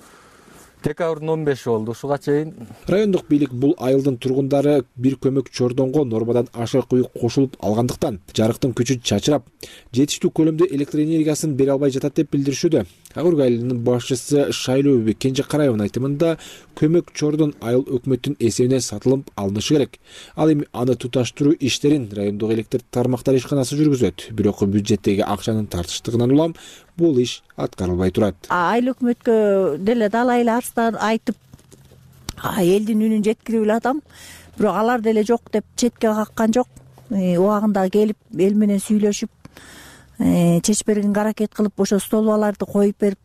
декабрдын он беши болду. Ушуга чейин райондук бийлик бул айылдын тургундары бир көмөк чордонго нормадан ашык үй кошулуп алгандыктан жарыктын күчү чачырап, жетиштүү көлөмдө электр энергиясын бере албай жатат деп билдиришүүдө. Ак Өргө айылынын башчысы Шайлообү Кенже Караевдин айтымында көмөк чордон айыл өкмөттүн эсебине сатылып алынышы керек. Ал эми аны туташтыруу иштерин райондук электр тармактар ишканасы жүргүзөт. Бирок бюджеттеги акчанын тартыштыгынан улам бул иш аткарылбай турат. Айыл өкмөткө деле далай эле арыздар айтып, элдин үнүн жеткирип эле атам. Бирок алар деле жок деп четке каккан жок. Убагында келип эл менен сүйлөшүп, чечип бергенге аракет кылып, ошо столбаларды коюп берип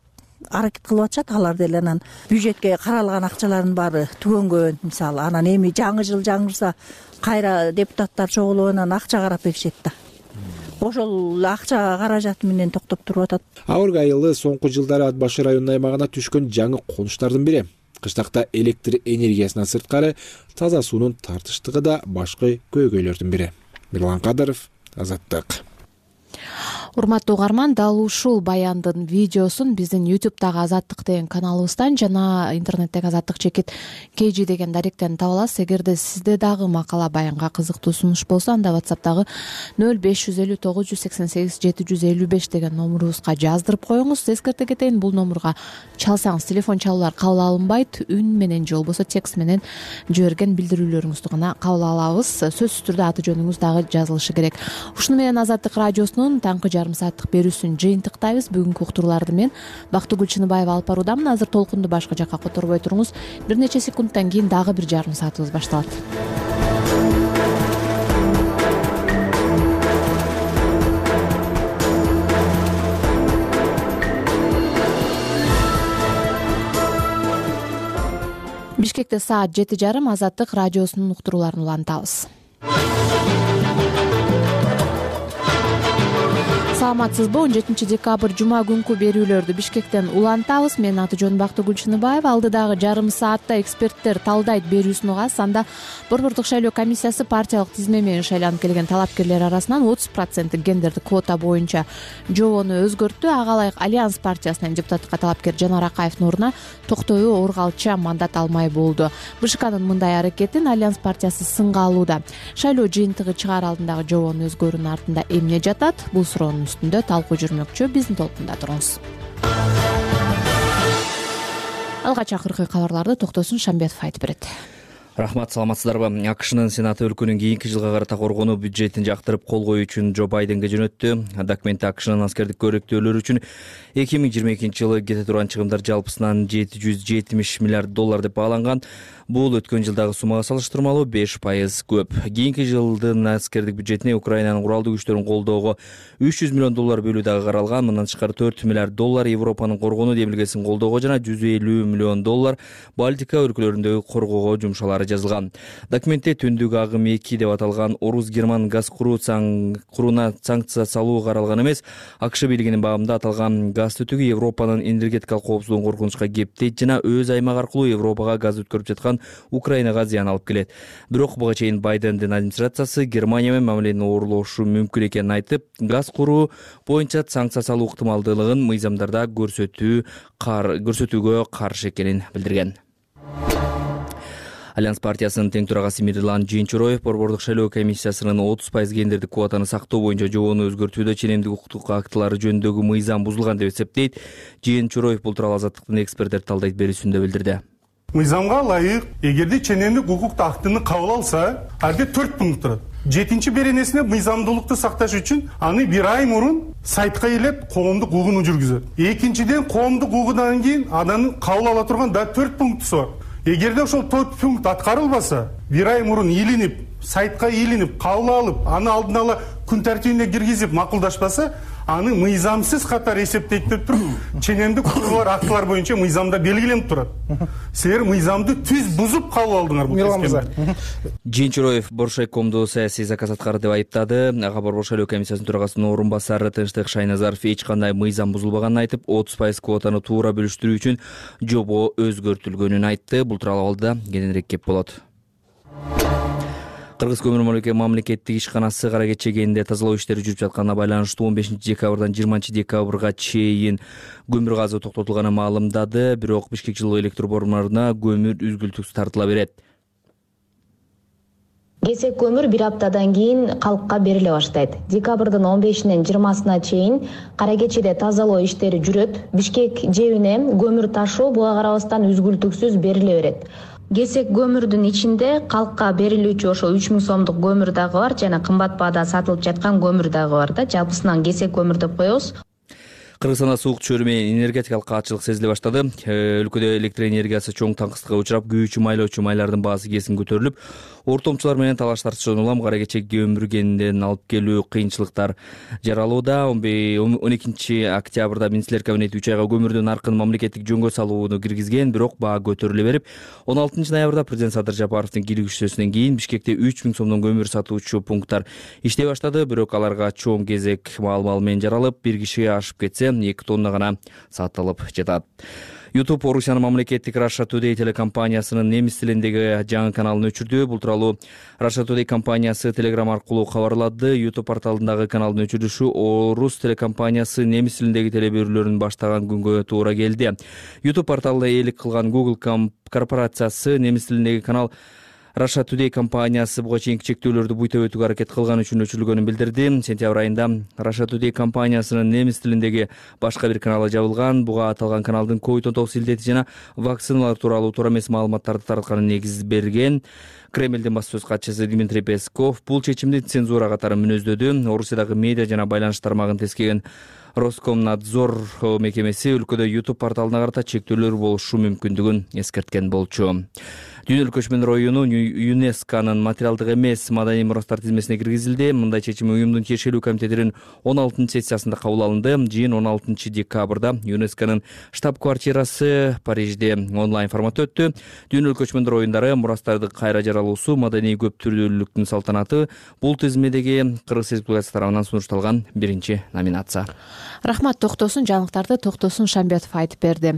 аракет кылып атышат. Алар деле анан бюджетке каралган акчалардын баары түгөнгөн. Мисалы, анан эми жаңы жыл жаңырса кайра депутаттар чогулуп анан акча карап беришет да. Ошол акча каражаты менен токтоп туруп атат. Ак Өргө айылы соңку жылдары Ат Башы районунун аймагына түшкөн жаңы конуштардын бири. Кыштакта электр энергиясынан сырткары таза суунун тартыштыгы да башкы көйгөйлөрдүн бири. Мирлан Кадыров, Азаттык. Урматтуу угарман, дал ушул баяндын видеосун биздин ютубтагы Азаттык деген каналыбыздан жана интернеттеги Азаттык чекит kg деген даректен таба аласыз. Эгерде сизде дагы макала баянга кызыктуу сунуш болсо, анда WhatsApp'тагы нөл беш жүз элүү тогуз жүз сексен сегиз жети жүз элүү беш деген номурубузга жаздырып коюңуз. Эскерте кетейин, бул номурга чалсаңыз телефон чалуулар кабыл алынбайт. Үн менен же болбосо текст менен жиберген билдирүүлөрүңүздү гана кабыл алабыз. Сөзсүз түрдө аты жөнүңүз дагы жазылышы керек. Ушуну менен Азаттык радиосунун таңкы жарым сааттык берүүсүн жыйынтыктайбыз. Бүгүнкү уктурууларды мен Бактыгүл Чыныбаева алып баруудамын. Азыр толкунду башка жакка которбой туруңуз. Бир нече секундтан кийин дагы бир жарым саатыбыз башталат. Бишкекте саат жети жарым Азаттык радиосунун уктурууларын улантабыз. Саламатсызбы? он жетинчи декабрь жума күнкү берүүлөрдү Бишкектен улантабыз. Менин аты жөнүм Бактыгүл Чыныбаева. Алдыдагы жарым саатта эксперттер талдайт берүүсүн угасыз. Анда Борбордук шайлоо комиссиясы партиялык тизме менен шайланып келген талапкерлер арасынан отуз проценттик гендердик квота боюнча жобону өзгөрттү. Ага ылайык Альянс партиясынан депутаттыкка талапкер Жанар Акаевдин ордуна Токтою Оргалча мандат алмай болду. БШКнын мындай аракетин Альянс партиясы сынга алууда. Шайлоо жыйынтыгы чыгаар алдындагы жобону өзгөрүүнүн артында эмне жатат? Бул суроонун үстүндө талкуу жүрмөкчү. Биздин толкунда туруңуз. Алгач акыркы кабарларды Токтосун Шамбетов айтып берет. Рахмат, саламатсыздарбы? АКШнын Сенаты өлкөнүн кийинки жылга карата коргонуу бюджетин жактырып кол коюу үчүн Джо Байденге жөнөттү. Документте АКШнын аскердик көрөктөөлөр үчүн эки миң жыйырма экинчи жылы кете турган чыгымдар жалпысынан жети жүз жетимиш миллиард доллар деп бааланган. Бул өткөн жылдагы суммага салыштырмалуу беш пайыз көп. Кийинки жылдын аскердик бюджетине Украинанын куралдуу күчтөрүн колдоого үч жүз миллион доллар бөлүү дагы каралган. Мындан тышкары төрт миллиард доллар Европанын коргонуу демилгесин колдоого жана жүз элүү миллион доллар Балтика өлкөлөрүндөгү коргоого жумшалары жазылган. Документте түндүк агым эки деп аталган орус-герман газ куруу куруна санкция салуу каралган эмес. АКШ бийлигинин бабында аталган газ түтүгү Европанын энергетикалык коопсуздугун коркунучка кептейт жана өз аймагы аркылуу Европага газ өткөрүп жаткан Украинага зыян алып келет. Бирок буга чейин Байдендин администрациясы Германия менен мамиленин оорлошу мүмкүн экенин айтып, газ куруу боюнча санкция салуу ыктымалдуулугун мыйзамдарда көрсөтүү көрсөтүүгө каршы экенин билдирген. Альянс партиясынын тең төрагасы Мирлан Жыйынчуроев Борбордук шайлоо комиссиясынын отуз пайыз гендердик квотаны сактоо боюнча жобону өзгөртүүдө ченемдик укуктук актылары жөнүндөгү мыйзам бузулган деп эсептейт. Жыйынчуроев бул тууралуу Азаттыктын эксперттер талдайт берүүсүндө билдирди. Мыйзамга ылайык, эгерде ченемдик укук актыны кабыл алса, алда төрт пункт турат. Жетинчи беренесине мыйзамдуулукту сакташ үчүн аны бир ай мурун сайтка келип коомдук угууну жүргүзөт. Экинчиден, коомдук угуудан кийин анын кабыл ала турган да төрт пунктусу бар. Эгерде ошол төрт пункт аткарылбаса, бир ай мурун илинип, сайтка илинип, кабыл алып, аны алдын ала күн тартибине киргизип макулдашпаса, аны мыйзамсыз катары эсептейт деп туруп, ченемдик укугулар актылар боюнча мыйзамда белгиленип турат. Силер мыйзамды түз бузуп кабыл алдыңар бул кезге. Жыйынчуроев Боршайкомду саясий заказ аткарды деп айыптады. Ага Борбор шайлоо комиссиясынын төрагасынын орун басары Тынчтык Шайназаров эч кандай мыйзам бузулбаганын айтып, отуз пайыз квотаны туура бөлүштүрүү үчүн жобо өзгөртүлгөнүн айтты. Бул тууралуу абалда кененирээк кеп болот. Кыргыз көмүр мамлекеттик ишканасы Кара Кече кенинде тазалоо иштери жүрүп жатканына байланыштуу он бешинчи декабрдан жыйырманчы декабрга чейин көмүр газы токтотулганын маалымдады. Бирок Бишкек жылуу электр борборунда көмүр үзгүлтүксүз тартыла берет. Кесек көмүр бир аптадан кийин калкка бериле баштайт. Декабрдын он бешинен жыйырмасына чейин Кара Кечеде тазалоо иштери жүрөт. Бишкек жебине көмүр ташуу буга карабастан үзгүлтүксүз бериле берет. Кесек көмүрдүн ичинде калкка берилүүчү ошо үч миң сомдук көмүр дагы бар жана кымбат баада сатылып жаткан көмүр дагы бар да. Жалпысынан кесек көмүр деп коебуз. Кыргызстанда суук чөйрө менен энергетикалык каатчылык сезиле баштады. Өлкөдө электр энергиясы чоң таңкыстыкка учурап, күйүүчү майлоочу майлардын баасы кесин көтөрүлүп, ортомчулар менен талаш тартышуудан улам Кара Кече көмүр кенинен алып келүү кыйынчылыктар жаралууда. он экинчи октябрда Министрлер кабинети үч айга көмүрдүн наркын мамлекеттик жөнгө салууну киргизген, бирок баа көтөрүлө берип, он алтынчы ноябрда президент Садыр Жапаровдун кийлигишүүсүнөн кийин Бишкекте үч миң сомдон көмүр сатуучу пункттар иштей баштады. Бирок аларга чоң кезек маал-маал менен жаралып, бир кишиге ашып кетсе, эки тонна гана сатылып жатат. YouTube Орусиянын мамлекеттик Russia Today телекомпаниясынын немис тилиндеги жаңы каналын өчүрдү. Бул тууралуу Russia Today компаниясы Telegram аркылуу кабарлады. YouTube порталындагы каналдын өчүрүшү орус телекомпаниясы немис тилиндеги телеберүүлөрүн баштаган күнгө туура келди. YouTube порталында ээлик кылган Google корпорациясы немис тилиндеги канал Russia Today компаниясы буга чейинки чектөөлөрдү буйта өтүүгө аракет кылган үчүн өчүрүлгөнүн билдирди. Сентябрь айында Russia Today компаниясынын немис тилиндеги башка бир каналы жабылган. Буга аталган каналдын ковид он тогуз илдети жана вакциналар тууралуу туура эмес маалыматтарды таратканын негиз берген. Кремлдин басма сөз катчысы Дмитрий Песков бул чечимди цензура катары мүнөздөдү. Орусиядагы медиа жана байланыш тармагын тескеген Роскомнадзор мекемеси өлкөдө YouTube порталына карата чектөөлөр болушу мүмкүндүгүн эскерткен болчу. Дүйнөлүк көчмөндөр оюну ЮНЕСКОнун материалдык эмес маданий мурастар тизмесине киргизилди. Мындай чечим уюмдун тиешелүү комитетинин он алтынчы сессиясында кабыл алынды. Жыйын он алтынчы декабрда ЮНЕСКОнун штаб-квартирасы Парижде онлайн форматта өттү. Дүйнөлүк көчмөндөр оюндары мурастарды кайра жаралуусу маданий көп түрдүүлүктүн салтанаты бул тизмедеги Кыргыз Республикасы тарабынан сунушталган биринчи номинация. Рахмат, токтосун жаңылыктарды Токтосун Шамбетов айтып берди.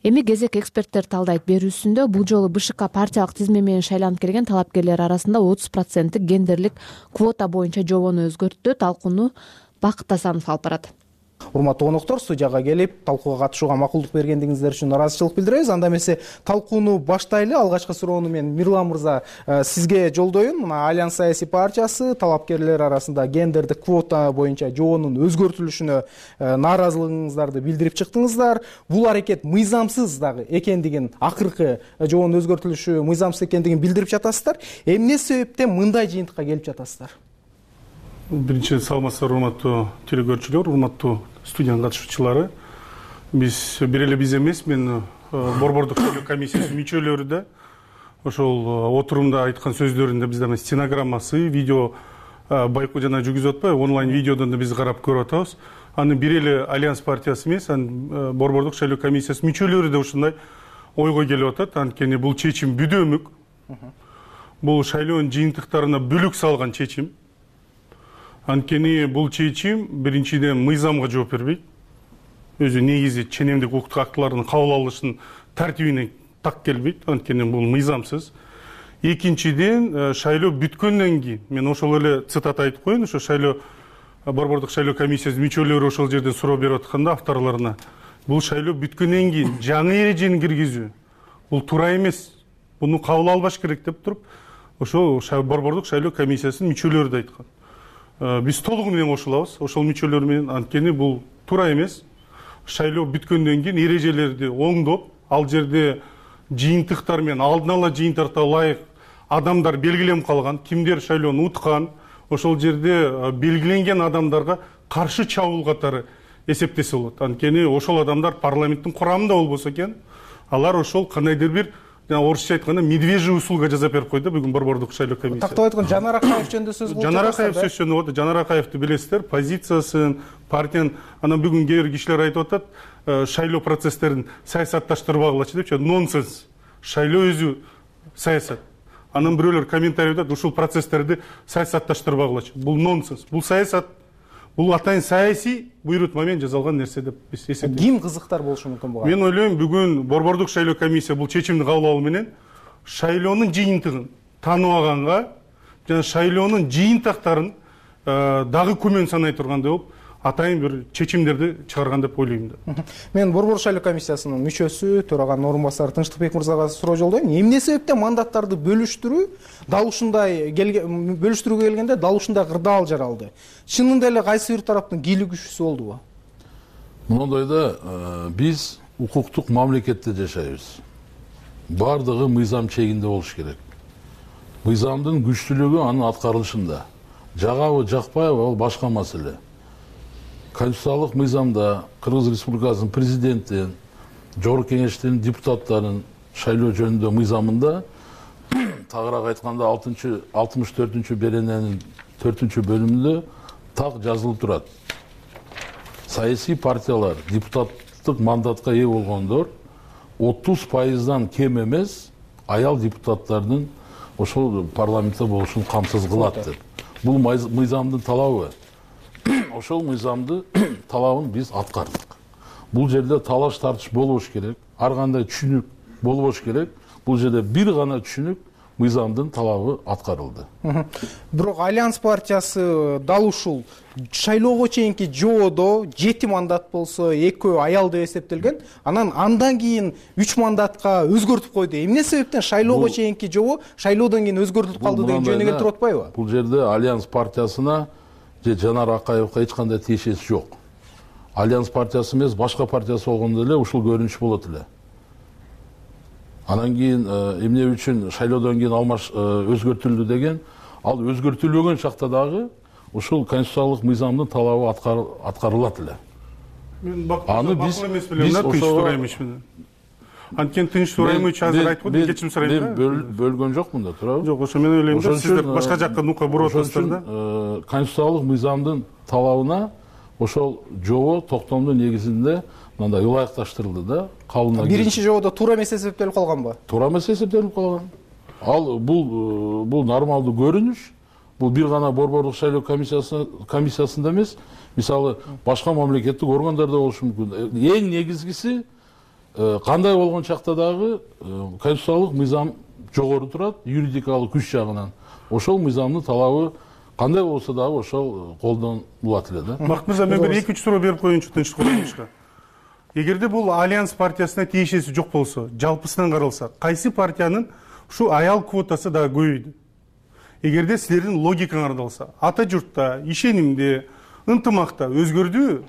Эми кезек эксперттер талдайт берүүсүндө бул жолу БШК партиялык тизме менен шайланып келген талапкерлер арасында отуз проценттик гендерлик квота боюнча жобону өзгөрттү. Талкууну Бакыт Асанов алып барат. Урматтуу коноктор, студияга келип талкууга катышууга макулдук бергендигиңиздер үчүн ыраазычылык билдиребиз. Анда эмесе талкууну баштайлы. Алгачкы суроону мен Мирлан мырза сизге жолдоюн. Мына Альянс саясий партиясы талапкерлер арасында гендердик квота боюнча жобонун өзгөртүлүшүнө нааразылыгыңыздарды билдирип чыктыңыздар. Бул аракет мыйзамсыз дагы экендигин, акыркы жобонун өзгөртүлүшү мыйзамсыз экендигин билдирип жатасыздар. Эмне себептен мындай жыйынтыкка келип жатасыздар? Биринчи саламатсыздар, урматтуу телекөрүүчүлөр, урматтуу студиянын катышуучулары. Биз бир эле биз эмес, мен борбордук шайлоо комиссиясынын мүчөлөрү да ошол отурумда айткан сөздөрүндө бизде стенограммасы, видео байкоо жана жүргүзүп атпайбы, онлайн видеодон да биз карап көрүп атабыз. Аны бир эле Альянс партиясы эмес, анын борбордук шайлоо комиссиясынын мүчөлөрү да ушундай ойго келип атат. Анткени бул чечим бүдөмүк. Бул шайлоонун жыйынтыктарына бүлүк салган чечим. Анткени бул чечим биринчиден мыйзамга жооп бербейт. Өзү негизи ченемдик укуктук актылардын кабыл алышынын тартибине так келбейт. Анткени бул мыйзамсыз. Экинчиден, шайлоо бүткөндөн кийин, мен ошол эле цитата айтып коеюн, ошо шайлоо борбордук шайлоо комиссиясынын мүчөлөрү ошол жерден суроо берип атканда авторлоруна, бул шайлоо бүткөндөн кийин жаңы эрежени киргизүү бул туура эмес. Буну кабыл албаш керек деп туруп, ошол борбордук шайлоо комиссиясынын мүчөлөрү да айткан. Биз толугу менен кошулабыз ошол мүчөлөр менен. Анткени бул туура эмес. Шайлоо бүткөндөн кийин эрежелерди оңдоп, ал жерде жыйынтыктар менен алдын ала жыйынтыкка ылайык адамдар белгиленип калган, кимдер шайлоону уткан, ошол жерде белгиленген адамдарга каршы чабуул катары эсептесе болот. Анткени ошол адамдар парламенттин курамында болбосо экен, алар ошол кандайдыр бир орусча айтканда медвежий услуга жасап берип койду бүгүн борбордук шайлоо комиссиясы. Тактап айтканда Жанар Акаев жөнүндө сөз кылып жатасыздар. Жанар Акаев сөз жөнүндө болот. Жанар Акаевди билесиздер, позициясын, партиянын, анан бүгүн кээ бир кишилер айтып атат, шайлоо процесстерин саясатташтырбагылачы депчи. Нонсенс. Шайлоо өзү саясат. Анан бирөөлөр комментарий айтат, ушул процесстерди саясатташтырбагылачы. Бул нонсенс. Бул саясат. Бул атайын саясий буйрутма менен жасалган нерсе деп биз эсептейбиз. Ким кызыктар болушу мүмкүн буга? Мен ойлойм, бүгүн борбордук шайлоо комиссия бул чечимди кабыл алуу менен шайлоонун жыйынтыгын тааныбаганга жана шайлоонун жыйынтыктарын дагы күмөн санай тургандай болуп, атайын бир чечимдерди чыгарган деп ойлойм да. Мен борбор шайлоо комиссиясынын мүчөсү, төраганын орун-басары Тынчтыкбек мырзага суроо жолдойм. Эмне себептен мандаттарды бөлүштүрүү дал ушундай бөлүштүрүүгө келгенде дал ушундай кырдаал жаралды? Чынында эле кайсы бир тараптын кийлүү күчүсү болдубу? Мындайда биз укуктук мамлекетте жашайбыз. Бардыгы мыйзам чегинде болуш керек. Мыйзамдын күчтүүлүгү анын аткарылышында. Жагабы, жакпайбы, ал башка маселе. Конституциялык мыйзамда Кыргыз Республикасынын президенти, жогорку кеңештин депутаттарынын шайлоо жөнүндө мыйзамында тагыраак айтканда алтымыш төртүнчү берененин төртүнчү бөлүмүндө так жазылып турат. Саясий партиялар депутаттык мандатка ээ болгондор отуз пайыздан кем эмес аял депутаттардын ошол парламентте болушун камсыз кылат деп. Бул мыйзамдын талабы. Ошол мыйзамды талабын биз аткардык. Бул жерде талаш тартыш болбош керек. ар кандай түшүнүк болбош керек. Бул жерде бир гана түшүнүк мыйзамдын талабы аткарылды. Бирок Альянс партиясы дал ушул шайлоого чейинки жоодо жети мандат болсо экөө аял деп эсептелген. Анан андан кийин үч мандатка өзгөртүп койду. Эмне себептен шайлоого чейинки жоо шайлоодон кийин өзгөртүлүп калды деген жөнүнө келтирип атпайбы? Бул жерде Альянс партиясына же Жанар Акаевга эч кандай тиешеси жок. Альянс партиясы эмес, башка партиясы болгондо эле ушул көрүнүш болот эле. Анан кийин эмне үчүн шайлоодон кийин алмаш өзгөртүлдү деген, ал өзгөртүлбөгөн чакта дагы ушул конституциялык мыйзамдын талабы аткарылат эле. Мен аны биз биз тынч сураймынмын. Анткени тынч сураймынчы азыр айтып койдум, кечирим сурайм. Мен бөлгөн жокмун да, туурабы? Жок, ошо мен ойлойм да, сиздер башка жакка нукка буруп атасыздар да. Конституциялык мыйзамдын талабына ошол жобо токтомдун негизинде мындай ылайыкташтырылды да, кабылына. Биринчи жоодо туура эмес эсептелип калганбы? Туура эмес эсептелип калган. Ал бул бул нормалдуу көрүнүш. Бул бир гана борбордук шайлоо комиссиясы комиссиясында эмес, мисалы башка мамлекеттик органдарда болушу мүмкүн. Эң негизгиси кандай болгон чакта дагы конституциялык мыйзам жогору турат, юридикалык күч жагынан. Ошол мыйзамдын талабы кандай болсо дагы ошол колдонулат эле да. Бакыт мырза, мен бир эки үч суроо берип коеюнчу тынчтык урматчыга. Эгерде бул Альянс партиясына тиешеси жок болсо, жалпысынан каралса, кайсы партиянын ушу аял квотасы дагы көбөйдү? Эгерде силердин логикаңар алса, ата журтта, ишенимде, ынтымакта өзгөрдүбү?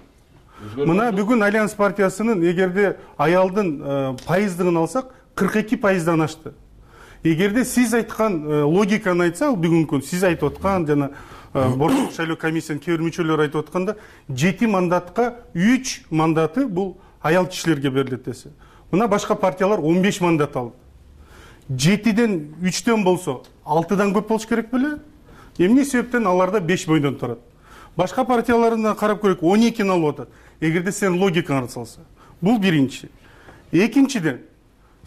Мына бүгүн Альянс партиясынын эгерде аялдын пайыздыгын алсак, кырк эки пайыздан ашты. Эгерде сиз айткан логиканы айтсак, бүгүнкү сиз айтып аткан жана борбордук шайлоо комиссиянын кээ бир мүчөлөрү айтып атканда, жети мандатка үч мандаты бул аял кишилерге берилет десе. Мына башка партиялар он беш мандат алды. жетиден үчтөн болсо, алтыдан көп болуш керек беле? Эмне себептен аларда беш бойдон турат? Башка партияларына карап көрөйүк, он экини алып атат. Эгерде сен логикаңарды салса. Бул биринчи. Экинчиден,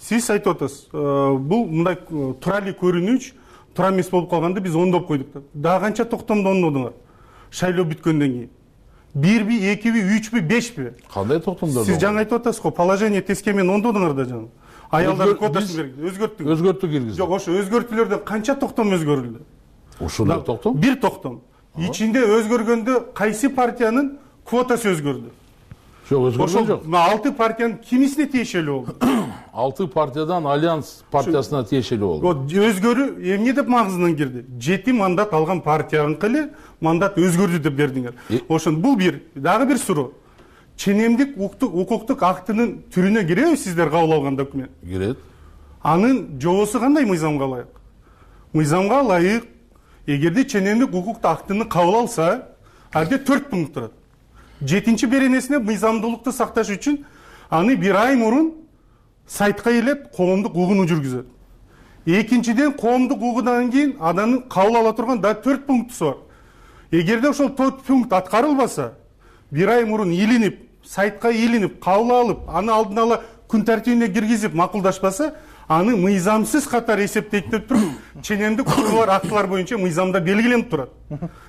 сиз айтып атасыз, бул мындай тура эле көрүнүш, тура эмес болуп калганды биз ондоп койдук. Дагы канча токтомду ондодуңар? Шайлоо бүткөндөн кийин. Бирби, экиби, үчпү, бешпи? Кандай токтомдор? Сиз жаңы айтып атасыз го, положение теске менен ондодуңар да жаңы. Аялдардын квотасын берди, өзгөрттүк. Өзгөртүк киргизди. Жок, ошо өзгөртүүлөрдөн канча токтом өзгөрүлдү? Ушундай токтом? Бир токтом. Ичинде өзгөргөндө кайсы партиянын квотасы өзгөрдү? Жок, өзгөргөн жок. алты партиянын кимисине тиешелүү болду? алты партиядан Альянс партиясына тиешелүү болду. Өзгөрүү эмне деп магызынан кирди? жети мандат алган партияныкы эле мандат өзгөрдү деп бердиңер. Ошон бул бир, дагы бир суроо. Ченемдик укуктук актынын түрүнө киреби сиздер кабыл алган документ? Кирет. Анын жобосу кандай мыйзамга ылайык? Мыйзамга ылайык, эгерде ченемдик укуктук актыны кабыл алса, алде төрт пункт турат. Жетинчи беренесине мыйзамдуулукту сакташ үчүн аны бир ай мурун сайтка келип коомдук угууну жүргүзөт. Экинчиден, коомдук угуудан кийин анын кабыл ала турган да төрт пунктусу бар. Эгерде ошол төрт пункт аткарылбаса, бир ай мурун илинип, сайтка илинип, кабыл алып, аны алдын ала күн тартибине киргизип макулдашпаса, аны мыйзамсыз катары эсептейт деп туруп, ченемдик укугулар актылар боюнча мыйзамда белгиленип турат.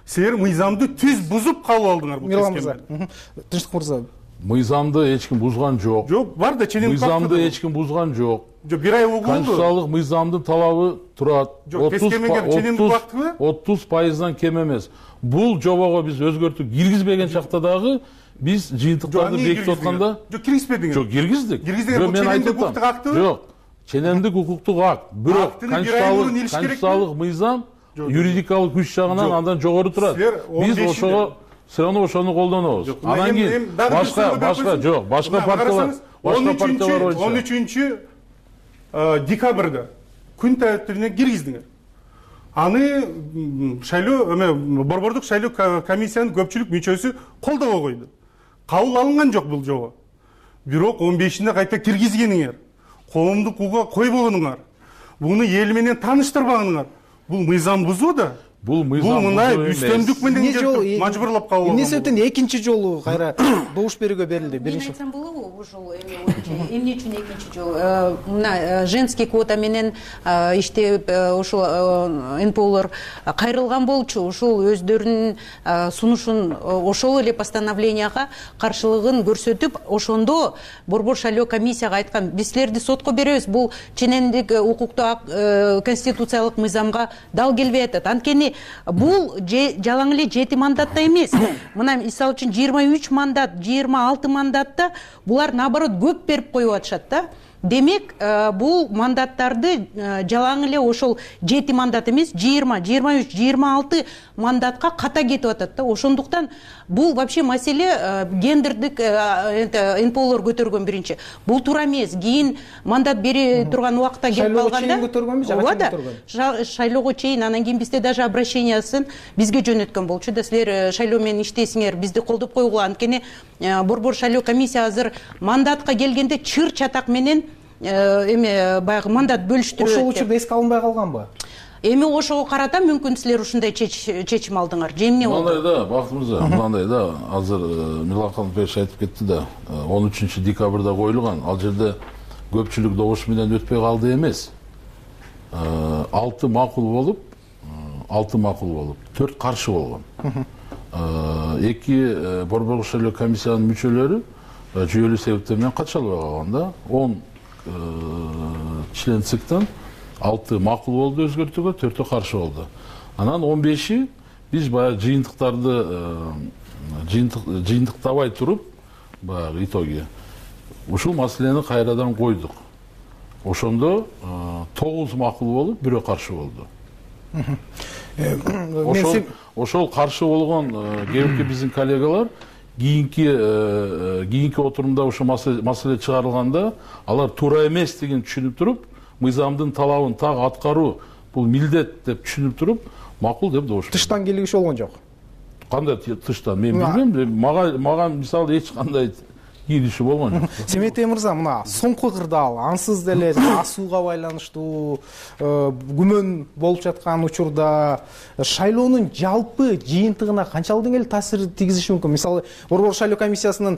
Силер мыйзамды түз бузуп кабыл алдыңар бул тескенде. Тынчтык мырза, мыйзамды эч ким бузган жок. Жок, бар да ченемдик мыйзамды эч ким бузган жок. Жок, бир ай угулду. Конституциялык мыйзамдын талабы турат. отуз пайыздан кем эмес. Бул жобого биз өзгөртүп киргизбеген чакта дагы биз жыйынтыктарды бекитип атканда жок, киргизбедиңер. Жок, киргиздик. Киргиздиңер, мен айтып атам. Жок, ченемдик укуктук акт, бирок конституциялык мыйзам юридикалык күч жагынан андан жогору турат. Биз ошого сыраны ошону колдонобуз. Анан кийин башка башка жок, башка партиялар, башка партиялар боюнча он үчүнчү декабрда күн тартибине киргиздиңер. Аны шайлоо эме борбордук шайлоо комиссиянын көпчүлүк мүчөсү колдобой койду. Кабыл алынган жок бул жобо. Бирок он бешинде кайта киргизгениңер, коомдук угууга койбогонуңар, буну эл менен тааныштырбагыңар. Бул мыйзам бузуу да. бул мыйзам бул мына үстөмдүк менен келип мажбурлап кабыл эмне себептен экинчи жолу кайра добуш берүүгө берилди? Мен айтсам болобу ушул эмне үчүн экинчи жолу мына женский квота менен иштеп ушул эн пэ олор кайрылган болчу, ушул өздөрүнүн сунушун ошол эле постановленияга каршылыгын көрсөтүп, ошондо борбор шайлоо комиссияга айткан, биз силерди сотко беребиз, бул ченемдик укуктуу конституциялык мыйзамга дал келбей атат. Анткени бул жалаң эле жети мандатта эмес. Мына мисалы үчүн жыйырма үч мандат, жыйырма алты мандатта булар наоборот көп берип коюп атышат да. Демек, бул мандаттарды жалаң эле ошол жети мандат эмес, жыйырма, жыйырма үч, жыйырма алты мандатка ката кетип атат да. Ошондуктан бул вообще маселе гендердик эн пэ олор көтөргөн биринчи. Бул туура эмес. Кийин мандат бере турган убакта келип калганда шайлоого чейин көтөргөнбү, жана көтөргөн? Шайлоого чейин, анан кийин бизде даже обращениясын бизге жөнөткөн болчу да. Силер шайлоо менен иштейсиңер, бизди колдоп койгула. Анткени борбор шайлоо комиссия азыр мандатка келгенде чыр чатак менен эме баягы мандат бөлүштүрөт. Ошол учурда эске алынбай калганбы? Эми ошого карата мүмкүн силер ушундай чечим алдыңар. Же эмне болду? Мындай да, Бакыт мырза, мындай да, азыр Мирлан Канатбекович айтып кетти да, он үчүнчү декабрда коюлган. Ал жерде көпчүлүк добуш менен өтпөй калды эмес. алты макул болуп, алты макул болуп, төрт каршы болгон. эки борбор шайлоо комиссиянын мүчөлөрү жүйөлүү себептер менен катыша албай калган да. он член циктен алты макул болду өзгөртүүгө, төртөө каршы болду. Анан он беши биз баягы жыйынтыктарды жыйынтыктабай туруп, баягы итоги ушул маселени кайрадан койдук. Ошондо тогуз макул болуп, бирөө каршы болду. Ошол ошол каршы болгон кээинки биздин коллегалар кийинки кийинки отурумда ошо маселе чыгарылганда алар туура эмес деген түшүнүп туруп, мыйзамдын талабын так аткаруу бул милдет деп түшүнүп туруп, макул деп добуш. Тыштан келгиш болгон жок. Кандай тыштан? Мен билбейм. Мага мага мисалы эч кандай кириши болгон жок. Семетей мырза, мына соңку кырдаал ансыз деле асууга байланыштуу күмөн болуп жаткан учурда шайлоонун жалпы жыйынтыгына канчалык деңгээлде таасир тийгизиши мүмкүн? Мисалы, борбор шайлоо комиссиясынын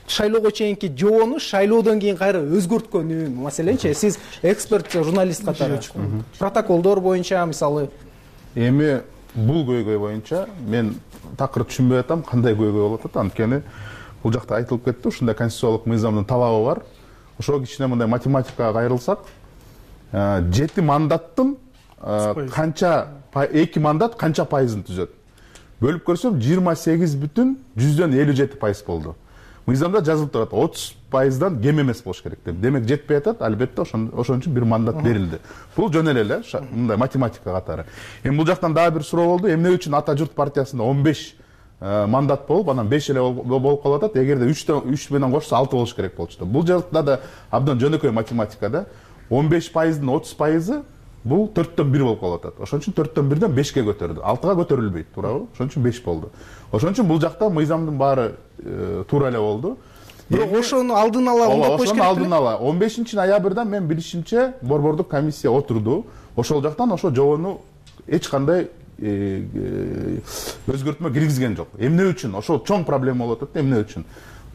шайлоого чейинки жобону шайлоодон кийин кайра өзгөрткөнү, маселенчи, сиз эксперт, журналист катары протоколдор боюнча мисалы эми бул көйгөй боюнча мен такыр түшүнбөй атам, кандай көйгөй болуп атат. Анткени бул жакта айтылып кетти, ушундай конституциялык мыйзамдын талабы бар. Ошого кичине мындай математикага кайрылсак, жети мандаттын канча эки мандат канча пайызын түзөт? Бөлүп көрсөм жыйырма сегиз бүтүн жүздөн элүү жети пайыз болду. Мыйзамда жазылып турат, отуз пайыздан кем эмес болуш керек деп. Демек жетпей атат, албетте ошон үчүн бир мандат берилди. Бул жөн эле эле мындай математика катары. Эми бул жактан дагы бир суроо болду. Эмне үчүн Ата журт партиясында он беш мандат болуп, анан беш эле болуп калып атат. Эгерде үч менен кошсо алты болуш керек болчу. Бул жакта да абдан жөнөкөй математика да. он беш пайыздын отуз пайызы бул төрттөн бир болуп калып атат. Ошон үчүн төрттөн бирден бешке көтөрдү. алтыга көтөрүлбөйт, туурабы? Ошон үчүн беш болду. Ошон үчүн бул жакта мыйзамдын баары туура эле болду. Бирок ошону алдын ала оңдоп коюш керек. Ошону алдын ала он бешинчи ноябрда мен билишимче борбордук комиссия отурду. Ошол жактан ошо жобону эч кандай өзгөртмө киргизген жок. Эмне үчүн? Ошол чоң проблема болуп атат. Эмне үчүн?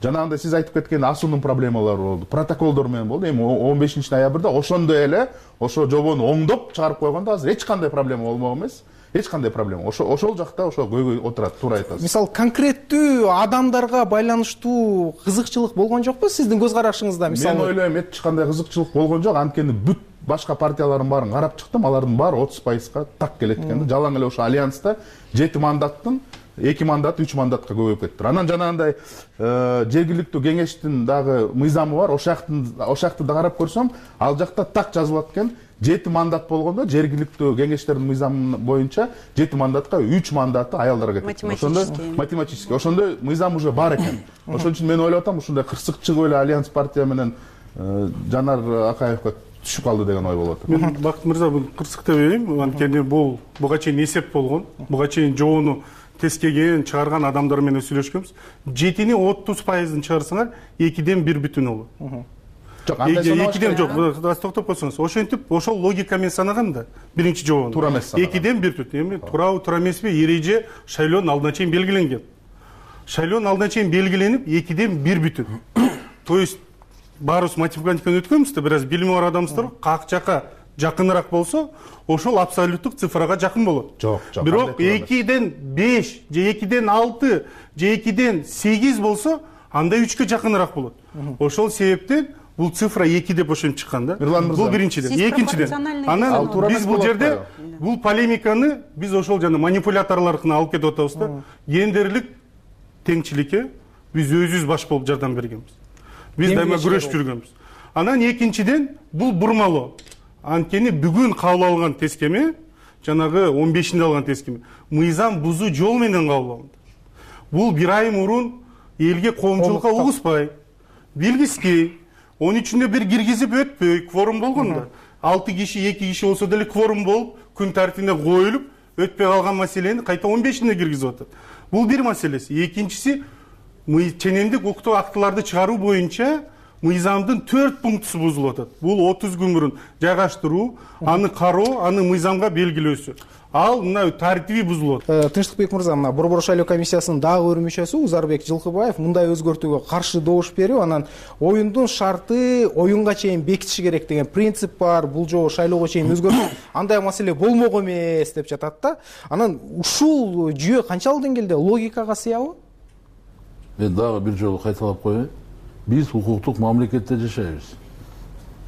Жанагындай сиз айтып кеткен асуунун проблемалары болду, протоколдор менен болду. Эми он бешинчи ноябрда ошондой эле ошо жобону оңдоп чыгарып койгондо азыр эч кандай проблема болмок эмес. Эч кандай проблема. Ошол ошол жакта ошо көйгөй отурат, туура айтасыз. Мисалы, конкреттүү адамдарга байланыштуу кызыкчылык болгон жокпу сиздин көз карашыңызда? Мисалы, мен ойлойм, эч кандай кызыкчылык болгон жок. Анткени бүт башка партиялардын баарын карап чыктым, алардын баары отуз пайызга так келет экен да. Жалаң эле ошо альянста жети мандаттын эки мандат үч мандатка көбөйүп кетти. Анан жанагындай жергиликтүү кеңештин дагы мыйзамы бар. Ошол жакты да карап көрсөм, ал жакта так жазылат экен. жети мандат болгондо жергиликтүү кеңештердин мыйзамы боюнча жети мандатка үч мандаты аялдарга кетет. Ошондо математически, ошондой мыйзам уже бар экен. Ошон үчүн мен ойлоп атам, ушундай кырсык чыгып эле Альянс партия менен Жанар Акаевге түшүп калды деген ой болот. Мен Бакыт мырза, бул кырсык деп ойлойм. Анткени бул буга чейин эсеп болгон. Буга чейин жобону тескеген, чыгарган адамдар менен сүйлөшкөнбүз. жетини отуз пайызын чыгарсаңар, экиден бир бүтүн болот. экиден жок, токтоп койсоңуз, ошентип ошол логика менен санаган да биринчи жообун. Туура эмес санаган. Экиден бир түт. Эми туурабы, туура эмеспи, эреже шайлоонун алдына чейин белгиленген. Шайлоонун алдына чейин белгиленип, экиден бир бүтүн. То есть баарыбыз математикадан өткөнбүз да, бир аз билими бар адамыздар как жака жакыныраак болсо, ошол абсолюттук цифрага жакын болот. Жок, жок. Бирок экиден беш же экиден алты же экиден сегиз болсо, анда үчкө жакыныраак болот. Ошол себептен бул цифра эки деп ошентип чыккан да. Бул биринчиден. Экинчиден, анан биз бул жерде бул полемиканы биз ошол жана манипуляторлордун алып кетип атабыз да. Гендерлик теңчиликке биз өзүбүз баш болуп жардам бергенбиз. Биз дайыма күрөшүп жүргөнбүз. Анан экинчиден бул бурмалоо. Анткени бүгүн кабыл алган тескеме, жанагы он бешинде алган тескеме, мыйзам бузуу жол менен кабыл алынды. Бул бир ай мурун элге коомчулукка угуспай, билгиспей, он үчүндө бир киргизип өтпөй, кворум болгон да. алты киши, эки киши болсо деле кворум болуп, күн тартибине коюлуп, өтпөй калган маселени кайта он бешинде киргизип атат. Бул бир маселеси. Экинчиси, ченемдик укуктук актыларды чыгаруу боюнча мыйзамдын төрт пунктусу бузулуп атат. Бул отуз күн мурун жайгаштыруу, аны кароо, аны мыйзамга белгилөөсү. Ал мына тартиби бузулат. Тынчтыкбек мырза, мына Борбор шайлоо комиссиясынын дагы бир мүчөсү Узарбек Жылкыбаев мындай өзгөртүүгө каршы добуш берип, анан оюндун шарты оюнга чейин бекитиш керек деген принцип бар. Бул жолу шайлоого чейин өзгөртүү андай маселе болмок эмес деп жатат да. Анан ушул жүйө канчалык деңгээлде логикага сыябы? Мен дагы бир жолу кайталап коеюн. Биз укуктук мамлекетте жашайбыз.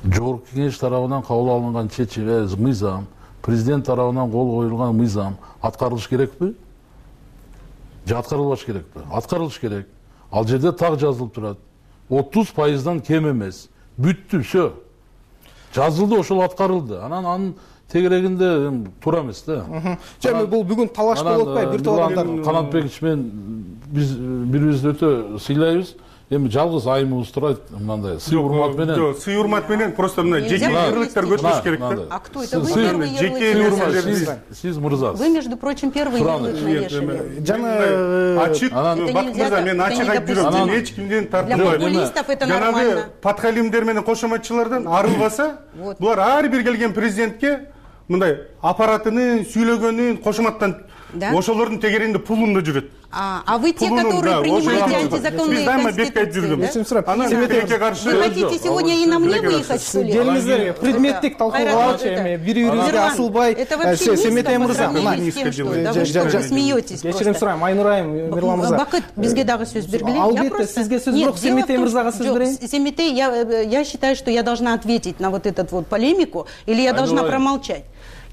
Жогорку кеңеш тарабынан кабыл алынган чечим, мыйзам, президент тарабынан кол коюлган мыйзам аткарылыш керекпи? Же аткарылбаш керекпи? Аткарылыш керек. Ал жерде так жазылып турат. отуз пайыздан кем эмес. Бүттү, все. Жазылды, ошол аткарылды. Анан анын тегерегинде туура эмес да. Жана бул бүгүн талаш болуп атпайбы? Бир топ адамдар Канатбекович менен биз бири-бирибизди өтө сыйлайбыз. Эми жалгыз айымыбыз турат, мындай сый урмат менен. Жок, сый урмат менен просто мына жеке ярлыктар көтөрүш керек да. А кто это? Вы первый ярлык. Сиз мырза. Вы, между прочим, первый ярлык навешали. Жана ачык, Бакыт мырза, мен ачык айтып жүрөм. Эч кимден тартынбайм. Для популистов это нормально. Жанагы подхалимдер менен кошоматчылардан арылбаса, булар ар бир келген президентке мындай аппаратынын сүйлөгөнүн кошоматтан ошолордун тегерегинде пулунда жүрөт. А вы те, которые принимаете антизаконные конституции, Анан тилекке каршы. Вы хотите сегодня и на мне выехать, что ли? Келиңиздер, предметтик талкууга эми бири-бирибизге асылбай, Семетей мырза, смеетесь. Кечирим сурайм, Айнур айым, Мирлан мырза. Бакыт, бизге дагы сөз бергиле. Албетте, сизге сөз бирок Семетей мырзага сөз берейин. Семетей, я считаю, что я должна ответить на вот эту вот полемику, или я должна промолчать.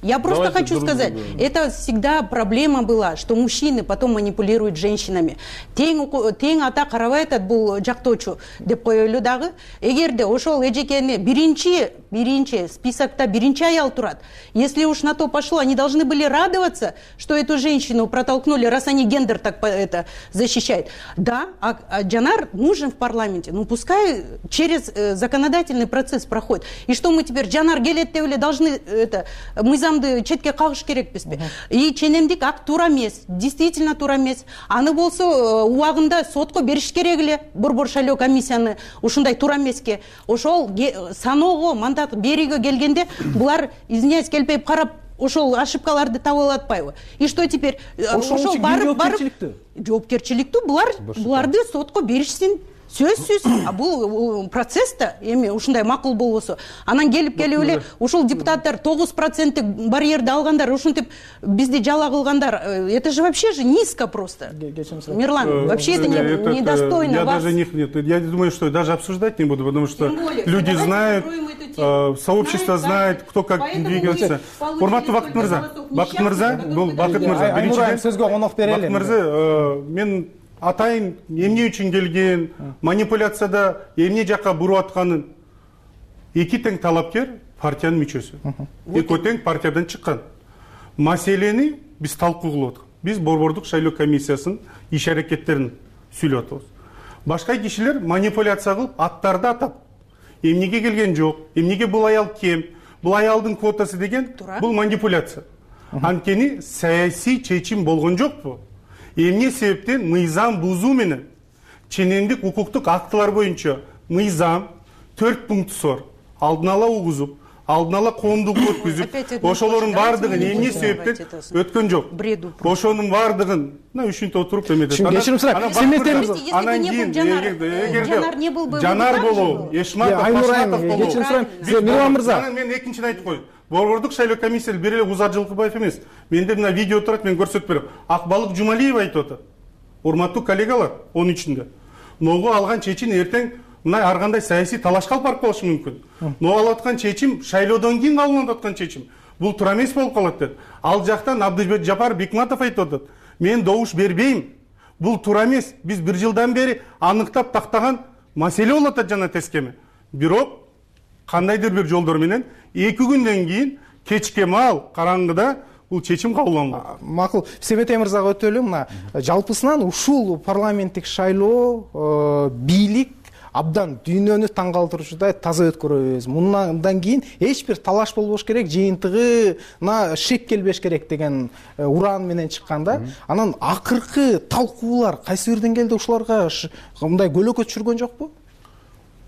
Я просто Давайте хочу сказать, это всегда проблема была, что мужчины потом манипулируют женщинами. Тең ата карабайт бул жактоочу деп коелу дагы. Эгерде ошол эжекени биринчи, биринчи списокта биринчи аял турат. Если уж на то пошло, они должны были радоваться, что эту женщину протолкнули, раз они гендер так это защищают. Да, а, а Джанар нужен в парламенте. Ну пускай через э, законодательный процесс проходит. И что мы теперь Джанар Гелеттевле должны это мы за четке кагыш керекпизби? И ченемдик акт туура эмес, действительно туура эмес. Аны болсо убагында сотко бериш керек эле. Борбор шайлоо комиссияны ушундай туура эмеске. Ошол саноого, мандат берүүгө келгенде булар извиняюсь келбей карап ошол ошибкаларды таба алып атпайбы? И что теперь? Ошол барып барып жоопкерчиликтүү булар буларды сотко беришсин. Сөзсүз, а бул процесста эми ушундай макул болбосо, анан келип келип эле ушул депутаттар тогуз проценттик барьерди алгандар, ушинтип бизди жала кылгандар, это же вообще же низко просто. Мирлан, вообще это недостойно я вас. Даже не, я думаю, что даже обсуждать не буду, потому что люди знают, сообщество знает, кто как двигается. Урматтуу Бакыт мырза, Бакыт мырза, бул Бакыт мырза, биринчиден сөзгө конок берели. Бакыт мырза, мен атайын эмне үчүн келген, манипуляцияда эмне жакка буруп атканын эки тең талапкер партиянын мүчөсү. Экөө тең партиядан чыккан. Маселени биз талкуу кылып аткан. Биз Борбордук шайлоо комиссиясынын иш аракеттерин сүйлөп атабыз. Башка кишилер манипуляция кылып, аттарды атап, эмнеге келген жок, эмнеге бул аял кем, бул аялдын квотасы деген бул манипуляция. Анткени саясий чечим болгон жокпу? Эмне себептен мыйзам бузуу менен ченемдик укуктук актылар боюнча мыйзам, төрт пунктусу бар. Алдын ала угузуп, алдын ала коомдук өткүзүп, ошолордун баардыгын эмне себептен өткөн жок. Ошонун баардыгын мына үчүнтө отуруп эметет. Кечирим сурайм. Семетемиз анан кийин эгерде Жанар болобу, Эшматов, Ташматов болобу. Кечирим сурайм. Мирлан мырза. Анан мен экинчини айтып коеюн. Борбордук шайлоо комиссиясы бир эле Узар Жылкыбаев эмес. Менде мына видео турат, мен көрсөтүп берем. Акбалык Жумалиева айтып атат. Урматтуу коллегалар, он үчүндө. Ногу алган чечим эртең мына ар кандай саясий талашка алып барып калышы мүмкүн. Но алып аткан чечим шайлоодон кийин кабылданып аткан чечим. Бул туура эмес болуп калат деп. Ал жактан Абдыжапар Жапар Бекматов айтып атат. Мен добуш бербейм. Бул туура эмес. Биз бир жылдан бери аныктап тактаган маселе болуп атат жана тескеме. Бирок кандайдыр бир жолдор менен эки күндөн кийин кечке маал караңгыда бул чечим кабылданган. Макул. Семетей мырзага өтөлү. Мына жалпысынан ушул парламенттик шайлоо бийлик абдан дүйнөнү таң калтыруучудай таза өткөрөбүз. Мындан кийин эч бир талаш болбош керек, жыйынтыгына шек келбеш керек деген уран менен чыкканда, анан акыркы талкуулар кайсы бир деңгээлде ушуларга мындай көлөкө түшүргөн жокпу?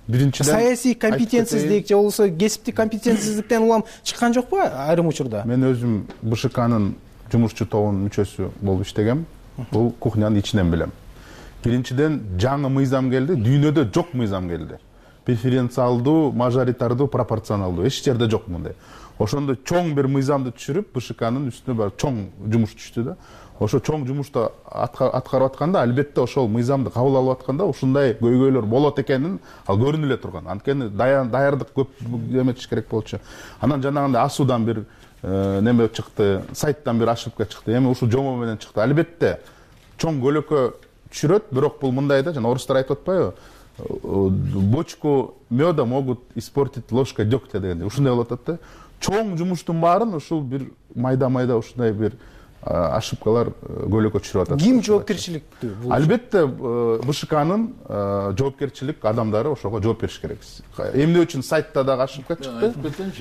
Биринчиден саясий компетентсиздик же болбосо кесиптик компетентсиздиктен улам чыккан жокпу айрым учурда? Мен өзүм БШКнын жумушчу тобунун мүчөсү болуп иштегем. Бул кухнянын ичинен билем. Биринчиден жаңы мыйзам келди, дүйнөдө жок мыйзам келди. Преференциалдуу, мажоритардуу, пропорционалдуу эч жерде жок мындай. Ошондо чоң бир мыйзамды түшүрүп, БШКнын үстүнө бар чоң жумуш түштү да. Ошо чоң жумушту аткарып атканда, албетте ошол мыйзамды кабыл алып атканда ушундай көйгөйлөр болот экенин ал көрүнүп эле турган. Анткени даярдык көп эметиш керек болчу. Анан жанагындай асуудан бир неме чыкты, сайттан бир ошибка чыкты. Эми ушул жомо менен чыкты. Албетте чоң көлөкө түшүрөт, бирок бул мындай да, жана орустар айтып атпайбы? Бочку меда могут испортить ложка дегтя дегенде. Ушундай болуп атат да. Чоң жумуштун баарын ушул бир майда-майда ушундай бир ошибкалар көлөкө түшүрүп атат. Ким жоопкерчиликтүү? Албетте БШКнын жоопкерчилик адамдары ошого жооп бериш керек. Эмне үчүн сайтта дагы ошибка чыкты?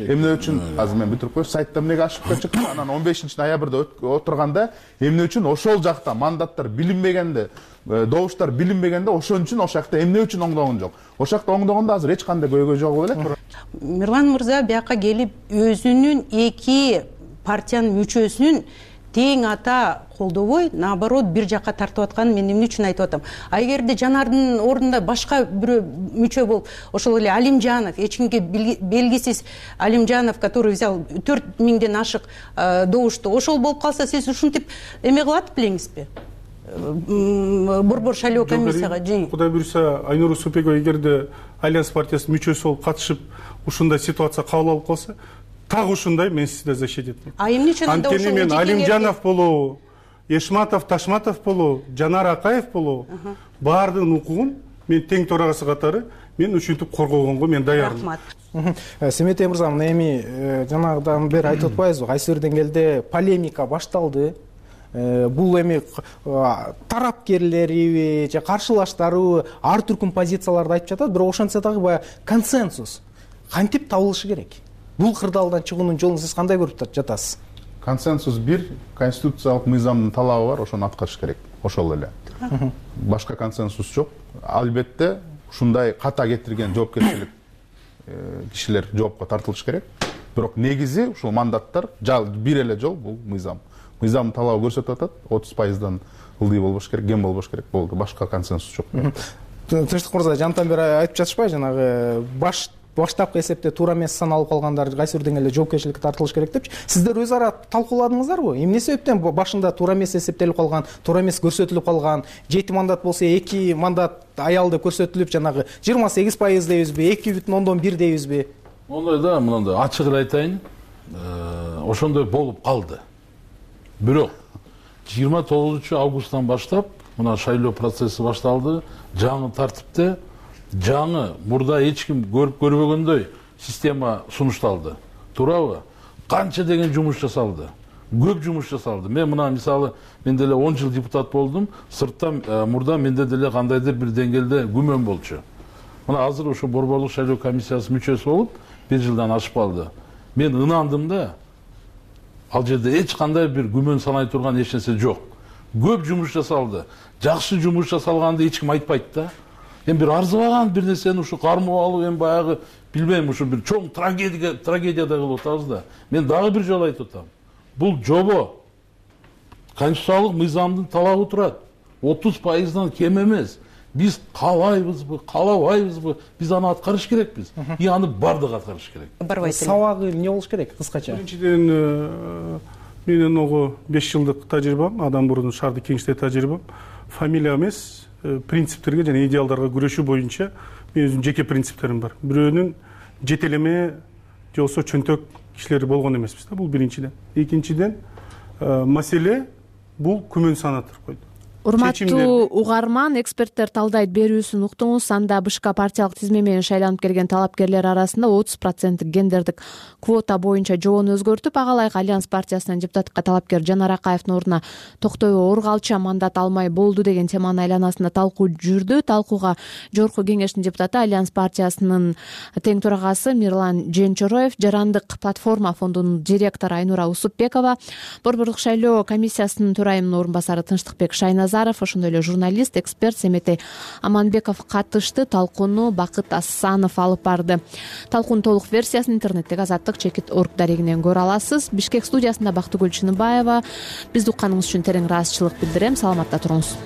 Эмне үчүн азыр мен бүтүрүп коеюн, сайтта эмнеге ошибка чыкты? Анан он бешинчи ноябрда отурганда эмне үчүн ошол жакта мандаттар билинбегенде, добуштар билинбегенде ошон үчүн ошол жакта эмне үчүн оңдогон жок? Ошол жакта оңдогондо азыр эч кандай көйгөй жок болуп элек. Мирлан мырза бияка келип өзүнүн эки партиянын мүчөсүн тең ата колдобой, наоборот бир жакка тартып атканын мен эмне үчүн айтып атам. А эгерде Жанардын ордунда башка бирөө мүчө болуп, ошол эле Алимжанов, эч кимге белгисиз Алимжанов, который взял төрт миңден ашык добушту, ошол болуп калса, сиз ушинтип эме кылат белеңизби? Борбор шайлоо комиссияга жи. Кудай буйруса, Айнур Супекова эгерде Альянс партиясынын мүчөсү болуп катышып, ушундай ситуация кабыл алып калса, так ушундай мен сизди защитит этмек. А эмне үчүн анда ошол мен Алимжанов болобу, Эшматов, Ташматов болобу, Жанар Акаев болобу, баардыгынын укугун мен тең төрагасы катары мен ушинтип коргогонго мен даярмын. Рахмат. Семетей мырза, эми жанагыдан бери айтып атпайбызбы, кайсы бир деңгээлде полемика башталды. Бул эми тарапкерлери же каршылаштары ар түркүн позицияларды айтып жатат, бирок ошентсе дагы баягы консенсус кантип табылышы керек? Бул кырдаалдан чыгуунун жолун сиз кандай көрүп жатасыз? Консенсус бир, конституциялык мыйзамдын талабы бар, ошону аткарыш керек. Ошол эле. Башка консенсус жок. Албетте ушундай ката кетирген жоопкерчилик кишилер жоопко тартылыш керек. Бирок негизи ушул мандаттар бир эле жол, бул мыйзам. Мыйзамдын талабы көрсөтүп атат, отуз пайыздан ылдый болбош керек, кем болбош керек болду. Башка консенсус жок. Тынчтык мырза, жантан бери айтып жатышпайбы, жанагы баш баштапкы эсепте туура эмес саналып калгандар кайсы бир деңгээлде жоопкерчиликке тартылыш керек депчи. Сиздер өз ара талкууладыңыздарбы? Эмне себептен башында туура эмес эсептелип калган, туура эмес көрсөтүлүп калган, жети мандат болсо эки мандат аялды көрсөтүлүп, жанагы жыйырма сегиз пайыз дейбизби, эки бүтүн ондон бир дейбизби? Мондай да, мындай ачык эле айтайын, ошондой болуп калды. Бирок жыйырма тогузунчу августтан баштап мына шайлоо процесси башталды. Жаңы тартипте жаңы мурда эч ким көрүп көрбөгөндөй система сунушталды. Туурабы? Канча деген жумуш жасалды. Көп жумуш жасалды. Мен мына мисалы, мен деле он жыл депутат болдум. Сырттан мурда менде деле кандайдыр бир деңгээлде күмөн болчу. Мына азыр ошо борборлук шайлоо комиссиясы мүчөсү болуп, бир жылдан ашып калды. Мен ынандым да. Ал жерде эч кандай бир күмөн санай турган эч нерсе жок. Көп жумуш жасалды. Жакшы жумуш жасалганды эч ким айтпайт да. эми бир арзыбаган бир нерсени ушу кармап алып эми баягы билбейм ушу бир чоң трагедия трагедиядай кылып атабыз да. Мен дагы бир жолу айтып атам. Бул жобо конституциялык мыйзамдын талабы турат. отуз пайыздан кем эмес. Биз каалайбызбы, каалабайбызбы, биз аны аткарыш керекпиз. И аны бардыгы аткарыш керек. Сабагы эмне болуш керек кыскача? Биринчиден менин ого беш жылдык тажрыйбам, адам мурдун шаардык кеңеште тажрыйбам. Фамилия эмес, принциптерге жана идеалдарга күрөшүү боюнча менин өзүмдүн жеке принциптерим бар. Бирөөнүн жетелеме же болбосо чөнтөк кишилери болгон эмеспиз да, бул биринчиден. Экинчиден, маселе бул күмөн санатыр койду. Урматтуу угарман, эксперттер талдайт берүүсүн уктуңуз. Анда БШК партиялык тизме менен шайланып келген талапкерлер арасында отуз проценттик гендердик квота боюнча жобону өзгөртүп, ага ылайык Альянс партиясынын депутаттыкка талапкер Жанар Акаевдин ордуна Токтобой Оргалча мандат алмай болду деген теманын айланасында талкуу жүрдү. Талкууга Жогорку кеңештин депутаты, Альянс партиясынын тең төрагасы Мирлан Женчороев, Жарандык платформа фондунун директору Айнура Усупбекова, Борбордук шайлоо комиссиясынын төрайымынын орун басары Тынчтыкбек Шайназаров, ошондой эле журналист, эксперт Семетей Аманбеков катышты. Талкууну Бакыт Асанов алып барды. Талкуунун толук версиясын интернеттеги азаттык чекит точка орг дарегинен көрө аласыз. Бишкек студиясында Бактыгүл Чыныбаева. Бизди укканыңыз үчүн терең ыраазычылык билдирем. Саламатта туруңуз.